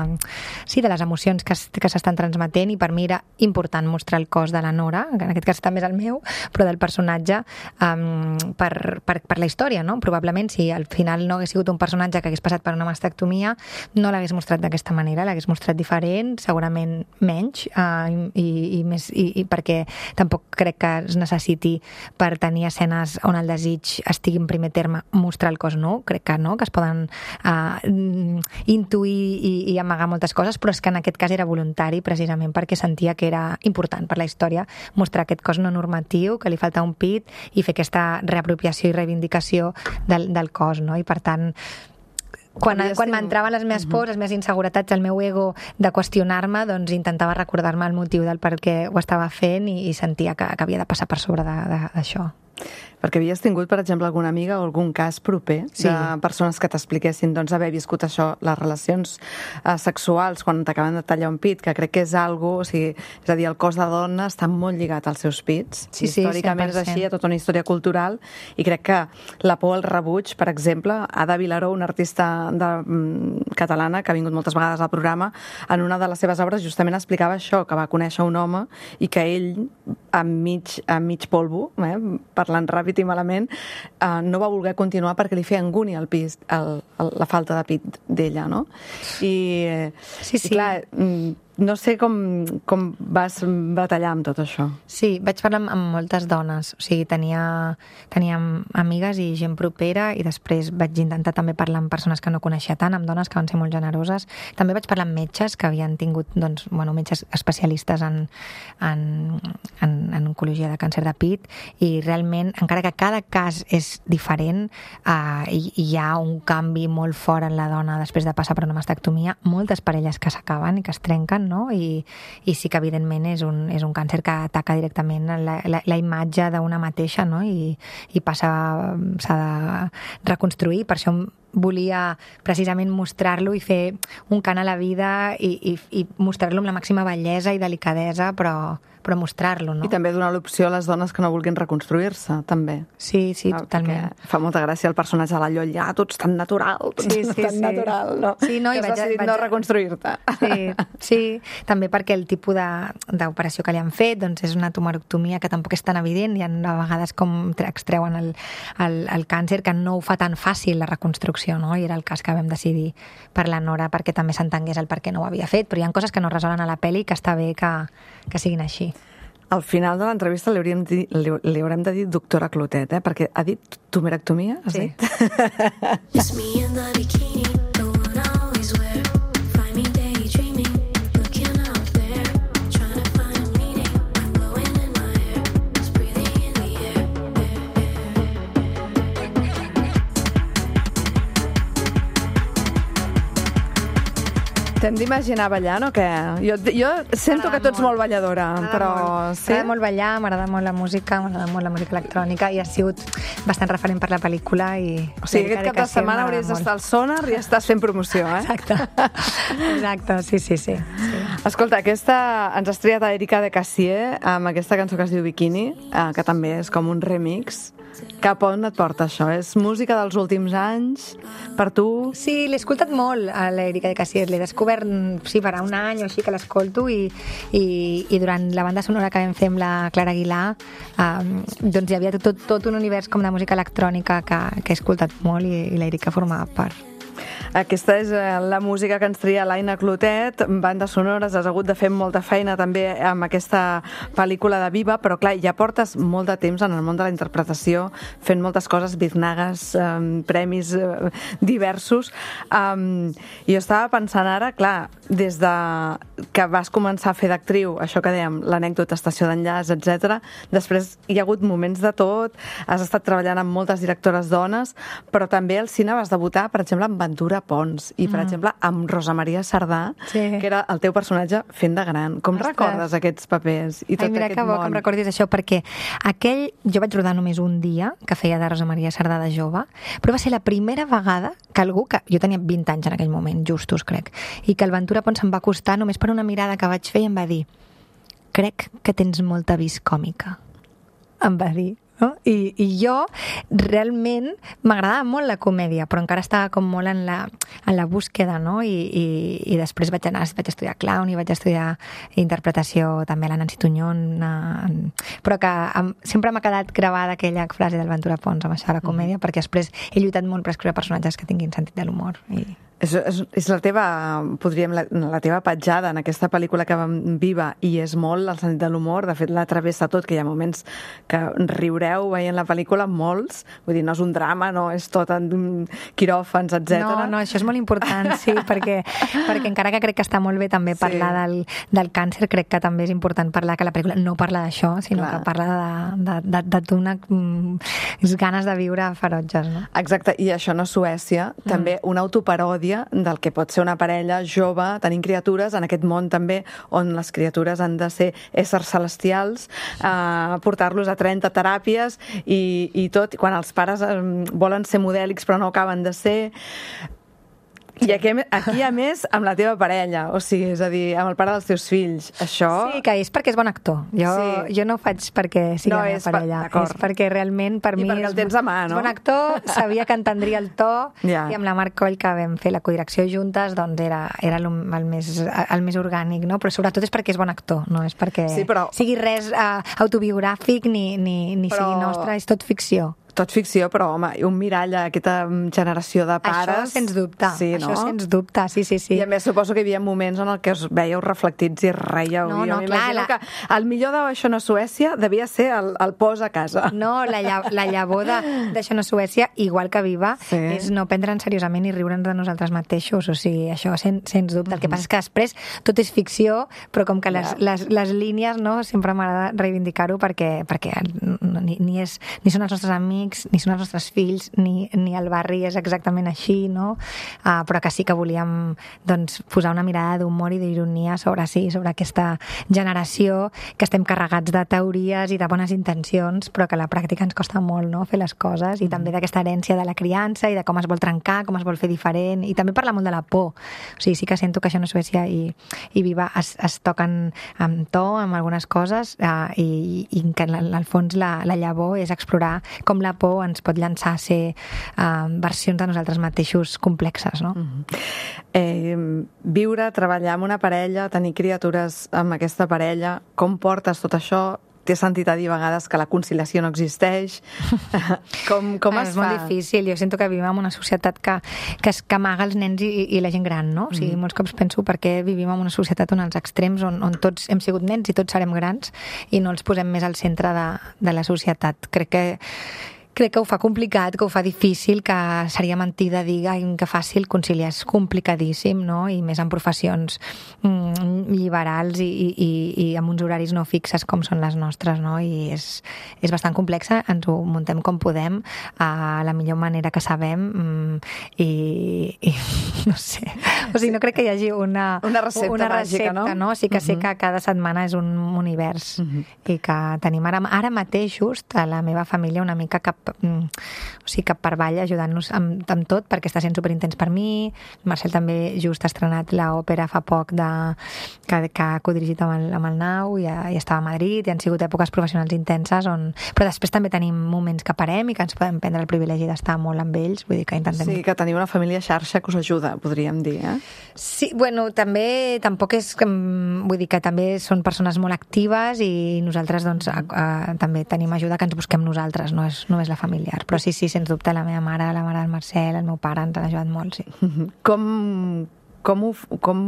sí, de les emocions que, que s'estan transmetent, i per mi era important mostrar el cos de la Nora, que en aquest cas també és el meu, però del personatge, um, per, per, per la història, no? Probablement, si al final no hagués sigut un personatge que hagués passat per una mastectomia, no l'hagués mostrat d'aquesta manera, l'hagués mostrat diferent, segurament menys, uh, i, i, més, i, i perquè tampoc crec que es necessiti per tenir escenes on el desig estigui en primer terme mostrar el cos nu, crec que no, que es poden uh, intuir i, i amagar moltes coses, però és que en aquest cas era voluntari precisament perquè sentia que era important per la història mostrar aquest cos no normatiu, que li falta un pit, i fer aquesta reapropiació i reivindicació del, del cos, no? I per tant quan, quan m'entraven les meves pors, les meves inseguretats, el meu ego de qüestionar-me, doncs intentava recordar-me el motiu del per què ho estava fent, i, i sentia que, que havia de passar per sobre d'això. Perquè havies tingut, per exemple, alguna amiga o algun cas proper sí. de persones que t'expliquessin doncs, haver viscut això, les relacions eh, sexuals quan t'acaben de tallar un pit, que crec que és algo, o sigui, és a dir, el cos de dona està molt lligat als seus pits. Sí, sí, històricament cent per cent. És així, hi ha tota una història cultural, i crec que la por al rebuig, per exemple, Ada Vilaró, una artista de, mm, catalana que ha vingut moltes vegades al programa, en una de les seves obres justament explicava això, que va conèixer un home i que ell, amb mig, amb mig polvo, eh, parlant ràpid i malament, eh, no va voler continuar perquè li feia angúnia el pis, el, el, la falta de pit d'ella, no? I, eh, sí, sí. i clar, no sé com, com vas batallar amb tot això. Sí, vaig parlar amb, amb moltes dones, o sigui, tenia, tenia amigues i gent propera, i després vaig intentar també parlar amb persones que no coneixia tant, amb dones que van ser molt generoses. També vaig parlar amb metges que havien tingut, doncs, bueno, metges especialistes en, en, en, en oncologia de càncer de pit, i realment, encara que cada cas és diferent, eh, hi, hi ha un canvi molt fort en la dona després de passar per una mastectomia, moltes parelles que s'acaben i que es trenquen, no? I, i sí que evidentment és un, és un càncer que ataca directament la, la, la imatge d'una mateixa, no? I, i passa, s'ha de reconstruir. Per això volia precisament mostrar-lo i fer un cant a la vida, i, i, i mostrar-lo amb la màxima bellesa i delicadesa, però, però mostrar-lo, no? I també donar l'opció a les dones que no vulguin reconstruir-se, també. Sí, sí, no, totalment. Fa molta gràcia el personatge de la Lloll, ja, tu ets tan natural, tu ets sí, sí, tan sí. natural, no? Sí, no, que i has vaig, decidit vaig... no reconstruir-te. Sí, sí, també perquè el tipus d'operació que li han fet, doncs és una tumorectomia que tampoc és tan evident, i a vegades com extreuen el, el, el càncer, que no ho fa tan fàcil la reconstrucció, no? I era el cas que vam decidir per la Nora, perquè també s'entengués el per què no ho havia fet, però hi ha coses que no resolen a la pel·li que està bé que, que siguin així. Al final de l'entrevista li, hauríem di, li, li haurem de dir doctora Clotet, eh? Perquè ha dit tumorectomia, has sí. dit? It's me in the bikini, the one I always wear. Find me daydreaming, looking out there, trying to find a meaning. I'm blowing in my hair, just breathing in the air. T'hem d'imaginar ballant o què? Jo, jo sento que tu ets molt balladora, però... Sí? M'agrada molt ballar, m'agrada molt la música, m'agrada molt la música electrònica, i ha sigut bastant referent per la pel·lícula. I o sigui, aquest cap de setmana hauries d'estar al Sonar i estàs fent promoció, eh? Exacte, exacte, sí, sí, sí. sí. Escolta, aquesta ens has triat a Erika de Cassier amb aquesta cançó que es diu Bikini, eh, que també és com un remix. Cap on et porta això? És música dels últims anys per tu? Sí, l'he escoltat molt a l'Erika de Cassier, l'he descobert sí, per un any o així que l'escolto, i, i, i durant la banda sonora que vam fer amb la Clara Aguilar, um, doncs hi havia tot, tot un univers com de música electrònica que, que he escoltat molt, i, i l'Erika formava part. Aquesta és la música que ens tria l'Aina Clotet, bandes sonores, has hagut de fer molta feina també amb aquesta pel·lícula de Viva, però clar, ja portes molt de temps en el món de la interpretació, fent moltes coses, biznagues, um, premis uh, diversos. Um, I jo estava pensant ara, clar, des de que vas començar a fer d'actriu, això que dèiem, l'anècdota, estació d'enllaç, etcètera. Després hi ha hagut moments de tot, has estat treballant amb moltes directores dones, però també al cine vas debutar, per exemple, amb Ventura Pons i, per mm. exemple, amb Rosa Maria Sardà, sí. que era el teu personatge fent de gran. Com Ostres. recordes aquests papers i tot Ai, mira, aquest que bo món? que em recordis això, perquè aquell... Jo vaig rodar només un dia, que feia de Rosa Maria Sardà de jove, però va ser la primera vegada que algú, que jo tenia vint anys en aquell moment, justos, crec, i que el Ventura Pons em va acostar només per una mirada que vaig fer i em va dir: crec que tens molta vis còmica. Em va dir. no? I, I jo realment m'agradava molt la comèdia, però encara estava com molt en la, en la búsqueda, no? I, i, i després vaig anar, vaig estudiar clown i vaig estudiar interpretació també a la Nancy Tuñón, eh, però que em, sempre m'ha quedat gravada aquella frase del Ventura Pons amb això de la comèdia, mm. perquè després he lluitat molt per escriure personatges que tinguin sentit de l'humor. I... És, és, és la teva, podríem, la, la teva petjada en aquesta pel·lícula que vam Viva, i és molt el sentit de l'humor. De fet, la travessa tot, que hi ha moments que riureu veient la pel·lícula, molts. Vull dir, no és un drama, no és tot en quiròfans, etcètera. No, no, això és molt important, sí, perquè, perquè encara que crec que està molt bé també parlar sí. del, del càncer, crec que també és important parlar que la pel·lícula no parla d'això, sinó Clar. que parla de, de, de, de, d'una mm, ganes de viure ferotges, no? Exacte, i això no és Suècia, mm. també una autoparòdia del que pot ser una parella jove tenint criatures en aquest món també on les criatures han de ser éssers celestials, eh, portar-los a trenta teràpies i, i tot, quan els pares eh, volen ser modèlics però no acaben de ser. I aquí, aquí, a més, amb la teva parella, o sigui, és a dir, amb el pare dels teus fills. Això... Sí, que és perquè és bon actor. Jo, sí. jo no ho faig perquè sigui no, la meva parella. Pa... És perquè realment, per I mi... I perquè el tens a mà, no? És bon actor, sabia que entendria el to, ja. i amb la Marc Coll, que vam fer la codirecció juntes, doncs era, era el, el, més, el més orgànic, no? Però sobretot és perquè és bon actor, no és perquè sí, però... sigui res uh, autobiogràfic ni, ni, ni però... sigui nostre, és tot ficció. Tot ficció, però, home, un mirall a aquesta generació de pares... Això, sens dubte. Sí, no? Això, sens dubte, sí, sí, sí. I a més, suposo que hi havia moments en el que us veieu reflectits i reieu. No, jo no, clar, m'imagino la... que el millor d'Això no és Suècia devia ser el, el pos a casa. No, la, lla la llavor d'Això no és Suècia, igual que Viva, sí. és no prendre'ns seriosament i riure'ns de nosaltres mateixos. O sigui, això, sen, sens dubte. El que passa és que després tot és ficció, però com que les, les, les línies, no, sempre m'agrada reivindicar-ho perquè, perquè ni, ni, és, ni són els nostres amics, ni són els nostres fills, ni, ni el barri és exactament així, no? Uh, però que sí que volíem doncs, posar una mirada d'humor i d'ironia sobre sí, sobre aquesta generació que estem carregats de teories i de bones intencions, però que a la pràctica ens costa molt, no?, fer les coses, i mm. també d'aquesta herència de la criança i de com es vol trencar, com es vol fer diferent, i també parla molt de la por. O sigui, sí que sento que Això no és Suècia i, i Viva es, es toquen amb to, amb algunes coses, uh, i, i que al fons la, la llavor és explorar com la por ens pot llançar a ser uh, versions de nosaltres mateixos complexes, no? Mm-hmm. eh, viure, treballar amb una parella, tenir criatures amb aquesta parella, com portes tot això? T'he sentit a dir a vegades que la conciliació no existeix. com com es és fa? És molt difícil. Jo sento que vivim en una societat que, que, que amaga els nens i, i la gent gran, no? O sigui, mm. molts cops penso per què vivim en una societat on els extrems, on, on tots hem sigut nens i tots serem grans, i no els posem més al centre de, de la societat. Crec que Crec que ho fa complicat, que ho fa difícil, que seria mentida dir que fàcil conciliar. És complicadíssim, no? I més en professions mm, lliberals i, i, i amb uns horaris no fixes com són les nostres, no? I és, és bastant complexa, ens ho muntem com podem, a la millor manera que sabem, mm, i, i no sé. O sigui, no crec que hi hagi una, una recepta, una recepta màgica, no? no? Sí que sé uh-huh. que cada setmana és un univers uh-huh. i que tenim ara, ara mateix just a la meva família una mica cap o sigui, cap per avall ajudant-nos amb, amb tot, perquè està sent superintens per mi. Marcel també just ha estrenat l'òpera fa poc de, que, que ha codirigit amb el, amb el Nau, i, i estava a Madrid, i han sigut èpoques professionals intenses, on... però després també tenim moments que parem i que ens podem prendre el privilegi d'estar molt amb ells, vull dir que intentem... Sí, que teniu una família xarxa que us ajuda, podríem dir, eh? Sí, bueno, també tampoc és... Vull dir que també són persones molt actives i nosaltres doncs a, a, també tenim ajuda que ens busquem nosaltres, no és, no és la família. Però sí, sí, sens dubte, la meva mare, la mare del Marcel, el meu pare ens han ajudat molt, sí. Com, com, ho, com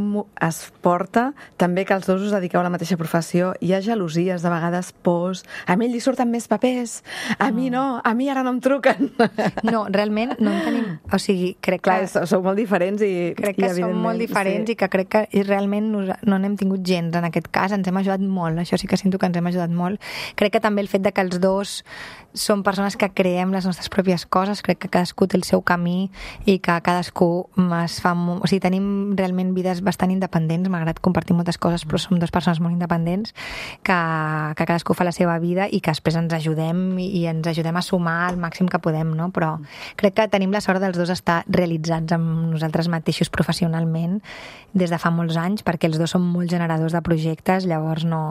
es porta també que els dos us dediqueu a la mateixa professió? Hi ha gelosies, de vegades pors, a mi li surten més papers, a no. mi no, a mi ara no em truquen. No, realment no en tenim... O sigui, crec Clar, que... sou molt diferents i... Crec que i som molt diferents, sí. I que crec que realment no n'hem tingut gens en aquest cas, ens hem ajudat molt, això sí que sento que ens hem ajudat molt. Crec que també el fet de que els dos som persones que creem les nostres pròpies coses, crec que cadascú té el seu camí i que cadascú es fa... O sigui, tenim realment vides bastant independents, m'agrada compartir moltes coses, però som dues persones molt independents, que, que cadascú fa la seva vida i que després ens ajudem i ens ajudem a sumar al màxim que podem, no? Però crec que tenim la sort dels dos estar realitzats amb nosaltres mateixos professionalment des de fa molts anys, perquè els dos som molt generadors de projectes, llavors no...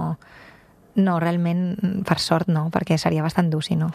no, realment, per sort no, perquè seria bastant dur, si no.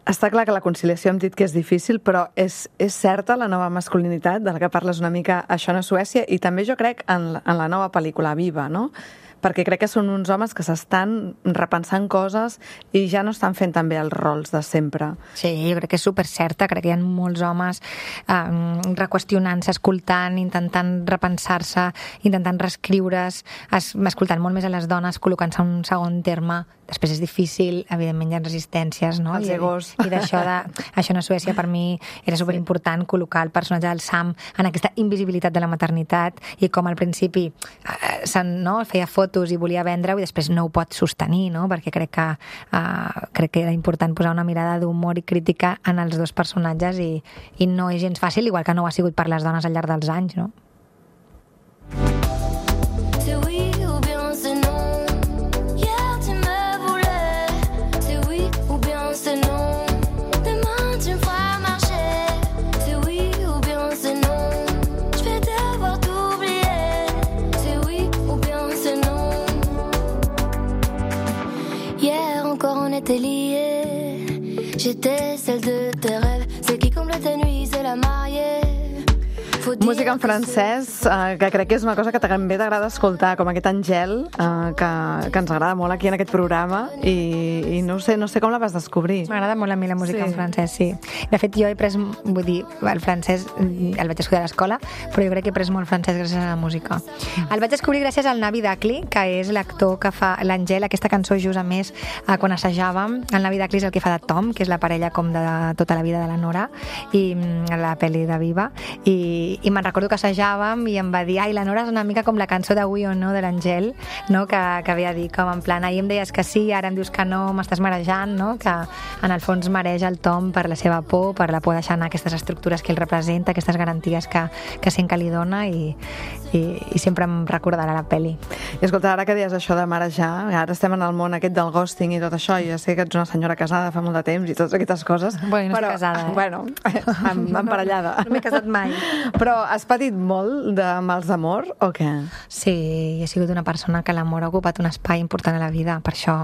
Està clar que la conciliació hem dit que és difícil, però és, és certa la nova masculinitat de la que parles una mica a Això no és Suècia, i també jo crec en, la- en la nova pel·lícula Viva, no? Perquè crec que són uns homes que s'estan repensant coses i ja no estan fent també els rols de sempre. Sí, jo crec que és super certa, crec que hi ha molts homes eh, reqüestionant-se, escoltant, intentant repensar-se, intentant reescriure's, es, escoltant molt més a les dones, col·locant-se en un segon terme. Després és difícil, evidentment hi ha resistències, no? Els I, egos. I d'això de... Això no és Suècia, per mi era superimportant col·locar el personatge del Sam en aquesta invisibilitat de la maternitat i com al principi eh, se'n, no, feia fotos i volia vendre-ho i després no ho pot sostenir, no? Perquè crec que, eh, crec que era important posar una mirada d'humor i crítica en els dos personatges i, i no és gens fàcil, igual que no ho ha sigut per les dones al llarg dels anys, no? C'est oui ou bien c'est non. Hier tu me voulais. C'est oui ou bien c'est non. Demain tu me feras marcher. C'est oui ou bien c'est non. Je vais devoir t'oublier. C'est oui ou bien c'est non. Hier encore on était liés. J'étais celle de tes rêves. Celle qui comble tes nuits, c'est la mariée. Faut dire Música en que francès, eh, que crec que és una cosa que també t'agrada escoltar, com aquest Angel, eh, que, que ens agrada molt aquí en aquest programa, i, i no sé, no sé com la vas descobrir. M'agrada molt a mi la música Sí. en francès, sí. De fet, jo he pres, vull dir, el francès el vaig estudiar a l'escola, però jo crec que he pres molt francès gràcies a la música. El vaig descobrir gràcies al Navi Dacli, que és l'actor que fa l'Angel, aquesta cançó just a més, eh, quan assajàvem. El Navi Dacli és el que fa de Tom, que és la parella com de tota la vida de la Nora, i mm, la pel·li de Viva, i, i me'n recordo que assajàvem i em va dir, ai, la Nora és una mica com la cançó de Oui o No de l'Angel, no? que, que havia dit, com en plan, ahir em deies que sí, ara em dius que no, m'estàs marejant, no? Que en el fons mareja el Tom per la seva por, per la por de deixar anar aquestes estructures que ell representa, aquestes garanties que, que sent que li dona, i, i, i sempre em recordarà la pel·li. I escolta, ara que deies això de marejar, ara estem en el món aquest del ghosting i tot això, i ja sé que ets una senyora casada fa molt de temps i totes aquestes coses. Bueno, no però, estic casada, eh? Bueno, em, emparellada. No m'he casat mai. Però has patit molt de mals d'amor o què? Sí, he sigut una persona que l'amor ha ocupat un espai important a la vida, per això,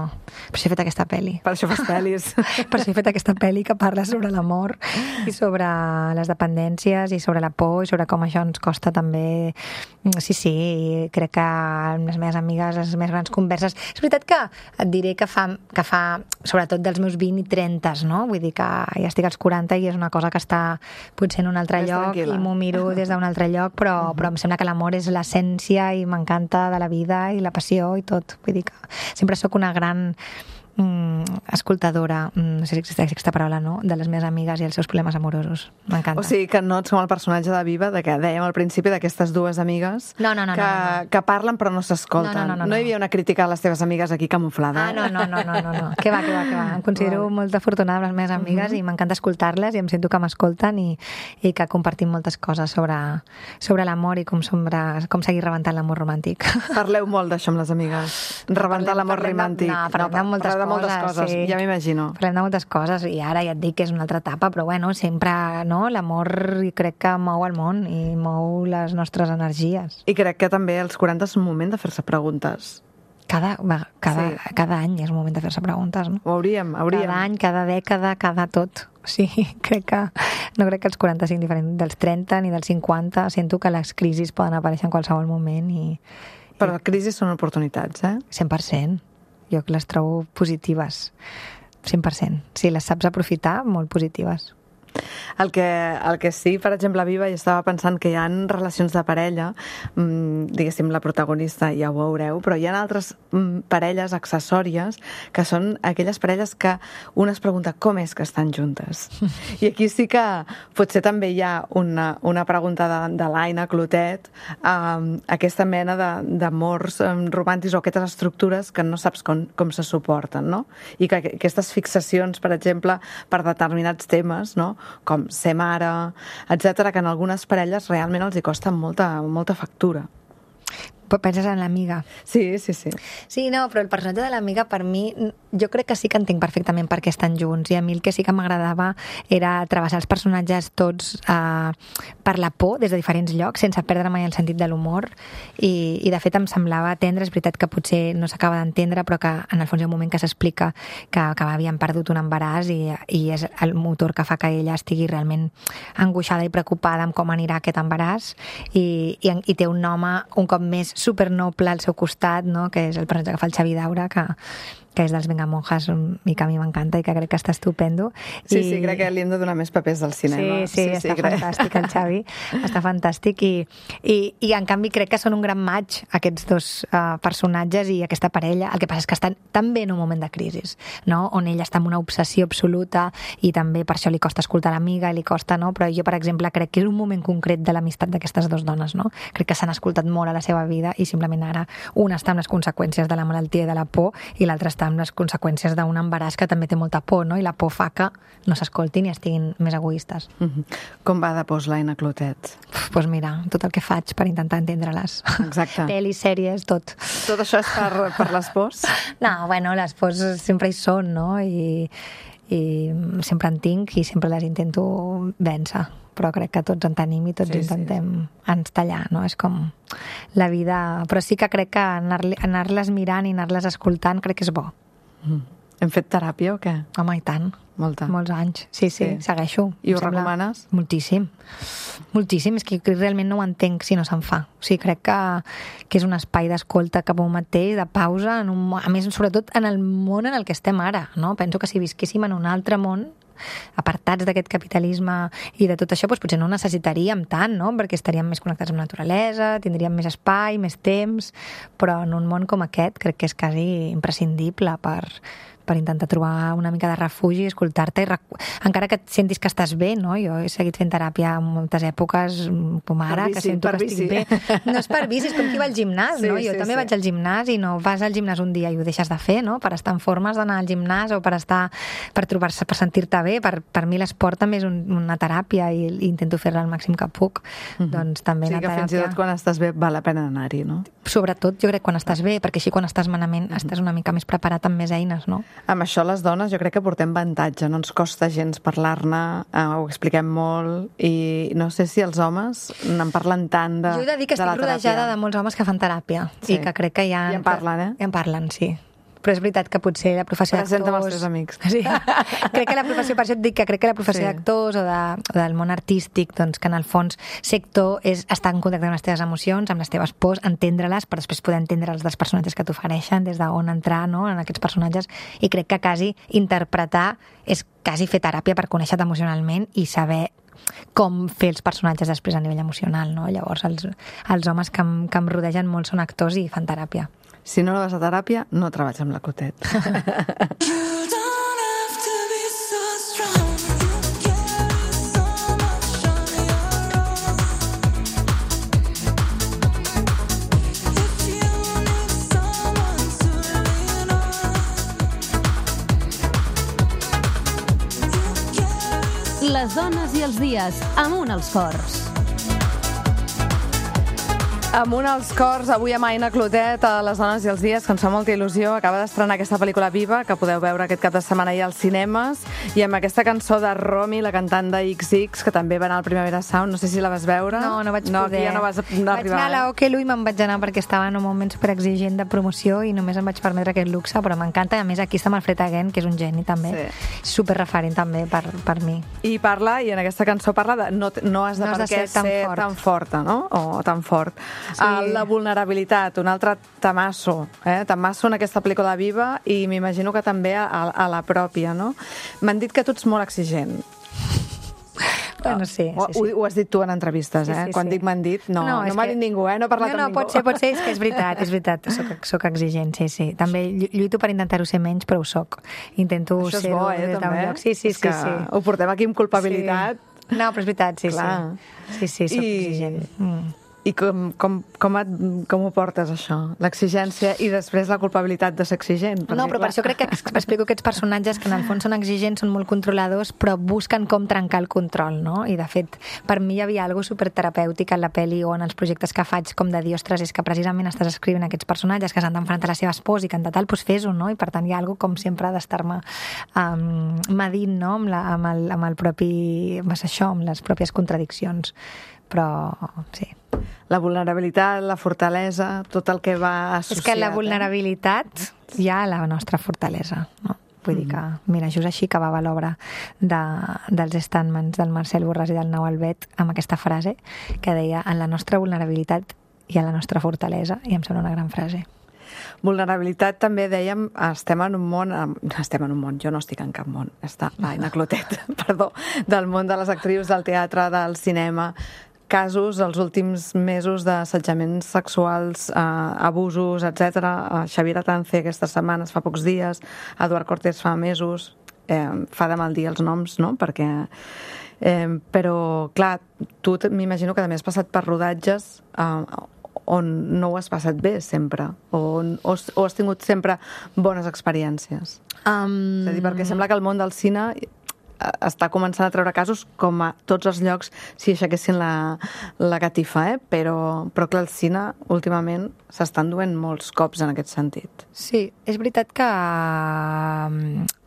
per això he fet aquesta pel·li. Per això fas pel·lis. Per això he fet aquesta pel·li que parla sobre l'amor i sobre les dependències i sobre la por i sobre com això ens costa també. Sí, sí, crec que amb les meves amigues, les meves grans converses... És veritat que et diré que fa, que fa sobretot dels meus vint i trenta, no? Vull dir que ja estic als quaranta i és una cosa que està potser en un altre Més lloc tranquil·la. i m'ho miro des d'un altre lloc, però, però em sembla que l'amor és l'essència i m'encanta de la vida i la passió i tot. Vull dir que sempre sóc una gran mm, escoltadora, mm, no sé si existeix aquesta paraula, no?, de les meves amigues i els seus problemes amorosos. M'encanta. O sigui que no ets com el personatge de Viva, de que dèiem al principi d'aquestes dues amigues No, no, no, que, no, no, no. que parlen però no s'escolten. No, no, no, no, no no. hi havia una crítica a les teves amigues aquí camuflada. Ah, no, no, no, no, no, no. Que va, que va, que va. Em considero Vale. molt afortunada amb les meves amigues i m'encanta escoltar-les i em sento que m'escolten i, i que compartim moltes coses sobre, sobre l'amor i com, sobre, com seguir rebentant l'amor romàntic. Parleu molt d'això amb les amigues. Rebentar Parlem- l'amor parlem de- romàntic. no, parlem de moltes parleu de moltes coses, coses, sí. ja m'imagino. Parlem de moltes coses i ara ja et dic que és una altra etapa, però bueno, sempre no, l'amor crec que mou el món i mou les nostres energies. I crec que també als quaranta és un moment de fer-se preguntes. Cada, va, cada, Sí. cada any és un moment de fer-se preguntes, no? Ho hauríem, hauríem. Cada any, cada dècada, cada tot. Sí, crec que no crec que els quaranta siguin diferents dels trenta ni dels cinquanta. Sento que les crisis poden aparèixer en qualsevol moment i Però les crisis són oportunitats, eh? cent per cent. Jo les trobo positives. cent per cent. Si les saps aprofitar, molt positives. El que, el que sí, per exemple, a Viva, jo estava pensant que hi ha relacions de parella, mmm, diguéssim, la protagonista ja ho veureu, però hi ha altres mmm, parelles accessòries que són aquelles parelles que una es pregunta com és que estan juntes. I aquí sí que potser també hi ha una, una pregunta de, de l'Aina Clotet, um, aquesta mena de- d'amors um, romàntics o aquestes estructures que no saps com, com se suporten, no? I que aquestes fixacions, per exemple, per determinats temes, no?, com ser mare, etcètera, que en algunes parelles realment els hi costa molta, molta factura. penses en l'amiga. Sí, sí, sí. Sí, no, però el personatge de l'amiga per mi, jo crec que sí que entenc perfectament per què estan junts, i a mi el que sí que m'agradava era travessar els personatges tots eh, per la por des de diferents llocs, sense perdre mai el sentit de l'humor, i, i de fet em semblava tendre, és veritat que potser no s'acaba d'entendre, però que en el fons hi ha un moment que s'explica que, que havien perdut un embaràs i, i és el motor que fa que ella estigui realment angoixada i preocupada amb com anirà aquest embaràs, i, i, i té un home un cop més supernoble al seu costat, no? Que és el personatge que fa el Xavi Daura, que, que és dels Vengamonjas i que a mi m'encanta i que crec que està estupendo. Sí, I... sí, crec que li hem de donar més papers del cinema. Sí, sí, sí està sí, fantàstic crec. El Xavi, està fantàstic i, i, i en canvi crec que són un gran match aquests dos uh, personatges i aquesta parella. El que passa és que estan també en un moment de crisi, no? On ella està en una obsessió absoluta i també per això li costa escoltar l'amiga i li costa, no? Però jo, per exemple, crec que és un moment concret de l'amistat d'aquestes dues dones, no? Crec que s'han escoltat molt a la seva vida i simplement ara una està amb les conseqüències de la malaltia i de la por i l'altra està amb les conseqüències d'un embaràs que també té molta por, no? I la por fa que no s'escoltin i estiguin més egoistes. Mm-hmm. Com va de pos l'Aina Clotet? Doncs pues mira, tot el que faig per intentar entendre-les. Exacte. Pel·lis, sèries, tot. Tot això és per, per les pors? No, bueno, les pors sempre hi són, no? I, i sempre en tinc i sempre les intento vèncer. Però crec que tots en tenim i tots sí, intentem sí, sí. ens tallar, no? És com la vida... Però sí que crec que anar-les anar mirant i anar-les escoltant crec que és bo. Mm. Hem fet teràpia o què? Home, i tant. Molta. Molts anys. Sí, sí, sí. Segueixo. I ho sembla... recomanes? Moltíssim. Moltíssim. És que realment no ho entenc si no se'n fa. O sigui, crec que, que és un espai d'escolta cap a un mateix, de pausa, en un... a més, sobretot en el món en el que estem ara, no? Penso que si visquéssim en un altre món, apartats d'aquest capitalisme i de tot això, doncs potser no ho necessitaríem tant, no? Perquè estaríem més connectats amb la naturalesa, tindríem més espai, més temps, però en un món com aquest crec que és quasi imprescindible per, per intentar trobar una mica de refugi, escoltar-te, i recu... encara que et sentis que estàs bé, no? Jo he seguit fent teràpia en moltes èpoques, com ara, bici, que sento que estic bé. No és per bici, és com qui va al gimnàs, sí, no? Jo sí, també sí. vaig al gimnàs i no vas al gimnàs un dia i ho deixes de fer, no? Per estar en formes d'anar al gimnàs o per estar, per trobar-se, per sentir-te bé. Per, per mi l'esport també és un, una teràpia i, i intento fer-la el màxim que puc. Mm-hmm. Doncs també sí, la teràpia... Sí, que fins i tot quan estàs bé val la pena anar-hi, no? Sobretot, jo crec, quan estàs bé, perquè així quan estàs malament mm-hmm. estàs una mica més preparat amb més eines, no? Amb això les dones jo crec que portem avantatge, no ens costa gens parlar-ne, eh, ho expliquem molt, i no sé si els homes en parlen tant de, jo he de dir que estic rodejada de molts homes que fan teràpia, sí. I que crec que ja... I en parlen, eh? I en parlen, sí. Però és veritat que potser la professió d'actors... Presenta'm els teus amics. Sí. Crec que la professió, per això et dic que crec que la professió sí. d'actors o, de, o del món artístic, doncs que en el fons ser actor és estar en contacte amb les teves emocions, amb les teves pors, entendre-les, per després poder entendre els dels personatges que t'ofereixen, des d'on entrar, no?, en aquests personatges, i crec que quasi interpretar és quasi fer teràpia per conèixer-te emocionalment i saber com fer els personatges després a nivell emocional, no? Llavors els, els homes que em, que em rodegen molt són actors i fan teràpia. Si no vas a teràpia, no treballes amb la Clotet. Les dones i els dies, amunt els cors. Amunt als cors, avui amb Aina Clotet a Les dones i els dies, que ens fa molta il·lusió. Acaba d'estrenar aquesta pel·lícula Viva, que podeu veure aquest cap de setmana ahir als cinemes, i amb aquesta cançó de Romy, la cantant de X X, que també va anar al Primavera Sound. No sé si la vas veure. No, no vaig no, poder. Ja no vas no vaig arribar, anar a la Okelu i me'n vaig anar perquè estava en un moment superexigent de promoció i només em vaig permetre aquest luxe, però m'encanta. I a més aquí està Manfred Again, que és un geni també. Sí. Superreferent també per, per mi. I parla, i en aquesta cançó parla de no, no has de no per has què de ser tan, ser fort. tan forta, no? O tan fort. Sí. La vulnerabilitat, un altre tamasso, eh? Tamasso en aquesta pel·lícula Viva, i m'imagino que també a, a la pròpia, no? M'han dit que tu ets molt exigent. Bueno, sí, sí, sí. Ho, ho has dit tu en entrevistes, eh? Sí, sí, Quan sí. dic m'han dit, no, no, no m'ha que... dit ningú, eh? No he parlat no, no, amb ningú. pot ser, pot ser, és que és veritat, és veritat, soc, soc exigent, sí, sí. També lluito per intentar-ho ser menys, però ho soc. Intento Això és ser-ho bo, eh, també? lloc. Sí, sí, és sí, que sí. Ho portem aquí amb culpabilitat. Sí. No, però és veritat, sí, Clar. sí. Sí, sí, soc I... exigent. Mm. I com, com, com, et, com ho portes, això? L'exigència i després la culpabilitat de ser exigent? No, però per això crec que explico aquests personatges que en el fons són exigents, són molt controladors, però busquen com trencar el control, no? I de fet, per mi hi havia alguna superterapèutic en la pel·li o en els projectes que faig com de dir, ostres, és que precisament estàs escrivint aquests personatges que s'han d'enfrontar a la seva esposa i que en total doncs fes-ho, no? I per tant hi ha alguna com sempre d'estar-me um, medint, no? Amb, la, amb, el, amb el propi... amb això, amb les pròpies contradiccions. Però, sí. La vulnerabilitat, la fortalesa, tot el que va associat. És que la vulnerabilitat eh? hi ha la nostra fortalesa, no? Vull dir que, mira, just així acabava l'obra de, dels Standmans del Marcel Borràs i del Nau Albet amb aquesta frase que deia en la nostra vulnerabilitat hi ha la nostra fortalesa, i em sembla una gran frase. Vulnerabilitat també dèiem, estem en un món, estem en un món, jo no estic en cap món, està l'Aina Clotet, perdó, del món de les actrius, del teatre, del cinema, casos els últims mesos d'assetjaments sexuals, eh, abusos, etcètera. Xavier Atance aquestes setmanes, fa pocs dies, Eduard Cortés fa mesos, eh, fa de mal dir els noms, no?, perquè... Eh, però, clar, tu m'imagino que també has passat per rodatges eh, on no ho has passat bé sempre, o, on, o, o has tingut sempre bones experiències. Um... És a dir, perquè sembla que el món del cine està començant a treure casos com a tots els llocs si aixequessin la, la catifa, eh? però, però clar, el cine últimament s'estan duent molts cops en aquest sentit. Sí, és veritat que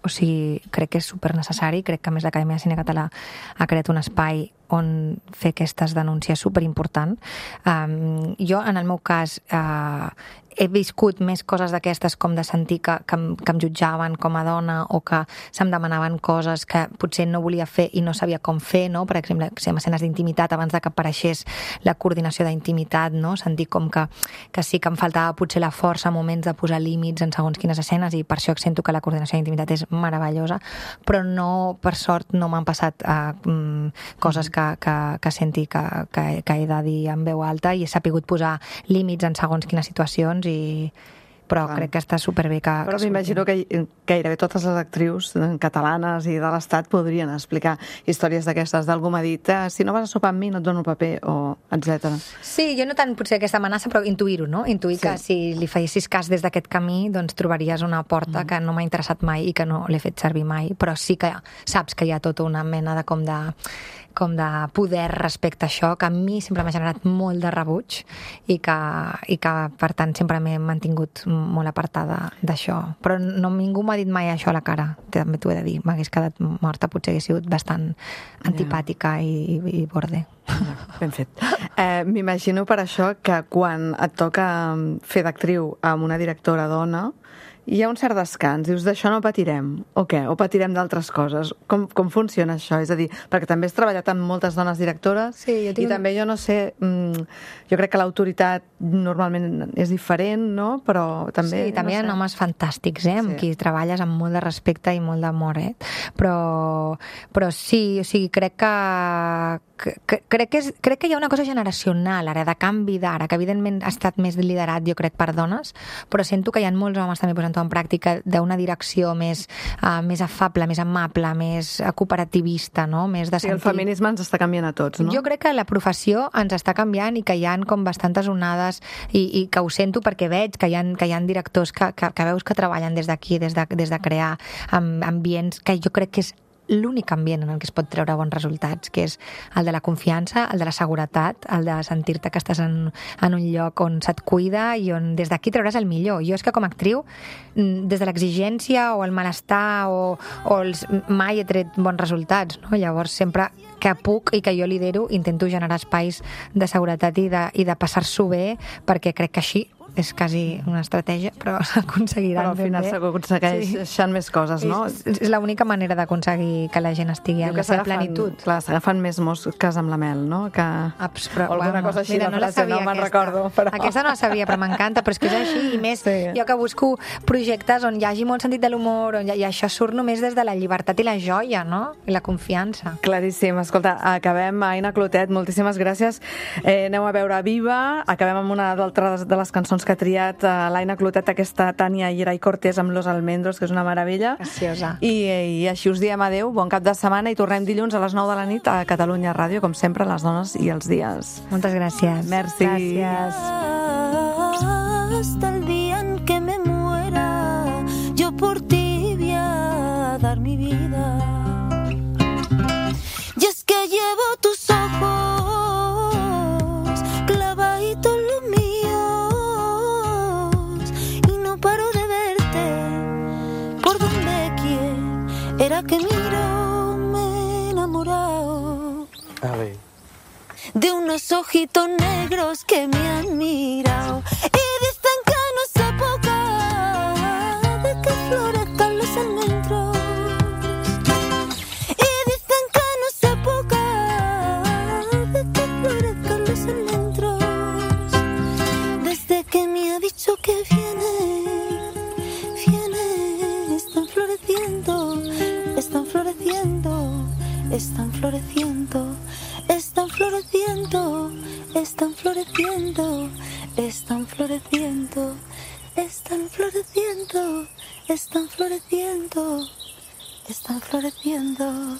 o sigui, crec que és supernecessari, crec que a més l'Acadèmia de Cine Català ha creat un espai on fer aquestes denúncies superimportant. Um, jo, en el meu cas, uh, he viscut més coses d'aquestes com de sentir que, que, em, que em jutjaven com a dona o que se'm demanaven coses que potser no volia fer i no sabia com fer, no? Per exemple, en escenes d'intimitat, abans de que apareixés la coordinació d'intimitat, no? Sentir com que, que sí que em faltava potser la força a moments de posar límits en segons quines escenes, i per això sento que la coordinació d'intimitat és meravellosa, però no, per sort, no m'han passat uh, um, coses que, que, que senti que, que, que he de dir en veu alta, i he sapigut posar límits en segons quines situacions, i però clar, crec que està superbé que... Però m'imagino que gairebé totes les actrius catalanes i de l'Estat podrien explicar històries d'aquestes. D'algú m'ha dit, eh, si no vas a sopar amb mi no et dono el paper, o etcètera. Sí, jo no tant potser aquesta amenaça, però intuir-ho, no? Intuir sí. que si li fessis cas des d'aquest camí, doncs trobaries una porta mm. que no m'ha interessat mai i que no l'he fet servir mai, però sí que saps que hi ha tota una mena de com de com de poder respecte a això, que a mi sempre m'ha generat molt de rebuig i que, i que per tant, sempre m'he mantingut molt apartada d'això. Però no, ningú m'ha dit mai això a la cara, també t'ho he de dir. M'hagués quedat morta, potser hagués sigut bastant antipàtica i, i, i borde. Ben fet. Eh, M'imagino per això que quan et toca fer d'actriu amb una directora dona, hi ha un cert descans, dius, d'això no patirem, o què? O patirem d'altres coses? Com, com funciona això? És a dir, perquè també has treballat amb moltes dones directores, sí, jo tinc... i també jo no sé, jo crec que l'autoritat normalment és diferent, no? Però també... Sí, també no hi ha sé. homes fantàstics, eh? Amb Sí. qui treballes amb molt de respecte i molt d'amor, eh? Però, però sí, o sigui, crec que, que, crec, que és, crec que hi ha una cosa generacional ara, de canvi d'ara, que evidentment ha estat més liderat, jo crec, per dones, però sento que hi ha molts homes també posant en pràctica d'una direcció més, uh, més afable, més amable, més cooperativista, no? Més de Sí, sentir... el feminisme ens està canviant a tots, no? Jo crec que la professió ens està canviant i que hi ha com bastantes onades, i, i que ho sento perquè veig que hi ha, que hi ha directors que, que, que veus que treballen des d'aquí, des, de, des de crear amb, ambients que jo crec que és l'únic ambient en el que es pot treure bons resultats, que és el de la confiança, el de la seguretat, el de sentir-te que estàs en, en un lloc on se't cuida i on des d'aquí trauràs el millor. Jo és que com a actriu, des de l'exigència o el malestar o, o els, mai he tret bons resultats, no? Llavors sempre que puc i que jo lidero intento generar espais de seguretat i de, i de passar-s'ho bé, perquè crec que així és quasi una estratègia, però s'aconseguiran Però al final s'aconsegueixen sí. més coses, no? És, és l'única manera d'aconseguir que la gent estigui en la seva plenitud. Clar, s'agafen més mosques amb la mel, no? Que... Aps, però, o alguna bueno, cosa així, mira, la no la frase, sabia, no me'n aquesta. recordo. Però... Aquesta no la sabia, però m'encanta, però és que és així, i més sí. jo que busco projectes on hi hagi molt sentit de l'humor, on hi, i això surt només des de la llibertat i la joia, no? I la confiança. Claríssim. Escolta, acabem, Aina Clotet, moltíssimes gràcies. Eh, aneu a veure Viva, acabem amb una d'altres de les cançons que ha triat uh, l'Aina Clotet, aquesta Tània Irai Cortés amb Los Almendros, que és una meravella. Preciosa. I, I així us diem adeu, bon cap de setmana, i tornem dilluns a les nou de la nit a Catalunya Ràdio, com sempre, les dones i els dies. Moltes gràcies. Merci. Gràcies. Hasta el día en que me muera, yo por ti voy a dar mi vida. Y es que llevo tus ojos clavaditos en los míos y no paro de verte por donde quiera que miro. Me he enamorado A ver. de unos ojitos negros que me han mirado y dicen que no es época de que florezcan los almendros. Y dicen que no es época de que florezcan los almendros. Desde que me ha dicho que viene, viene, están floreciendo, están floreciendo, están floreciendo. Están floreciendo, están floreciendo, están floreciendo, están floreciendo, están floreciendo, están floreciendo.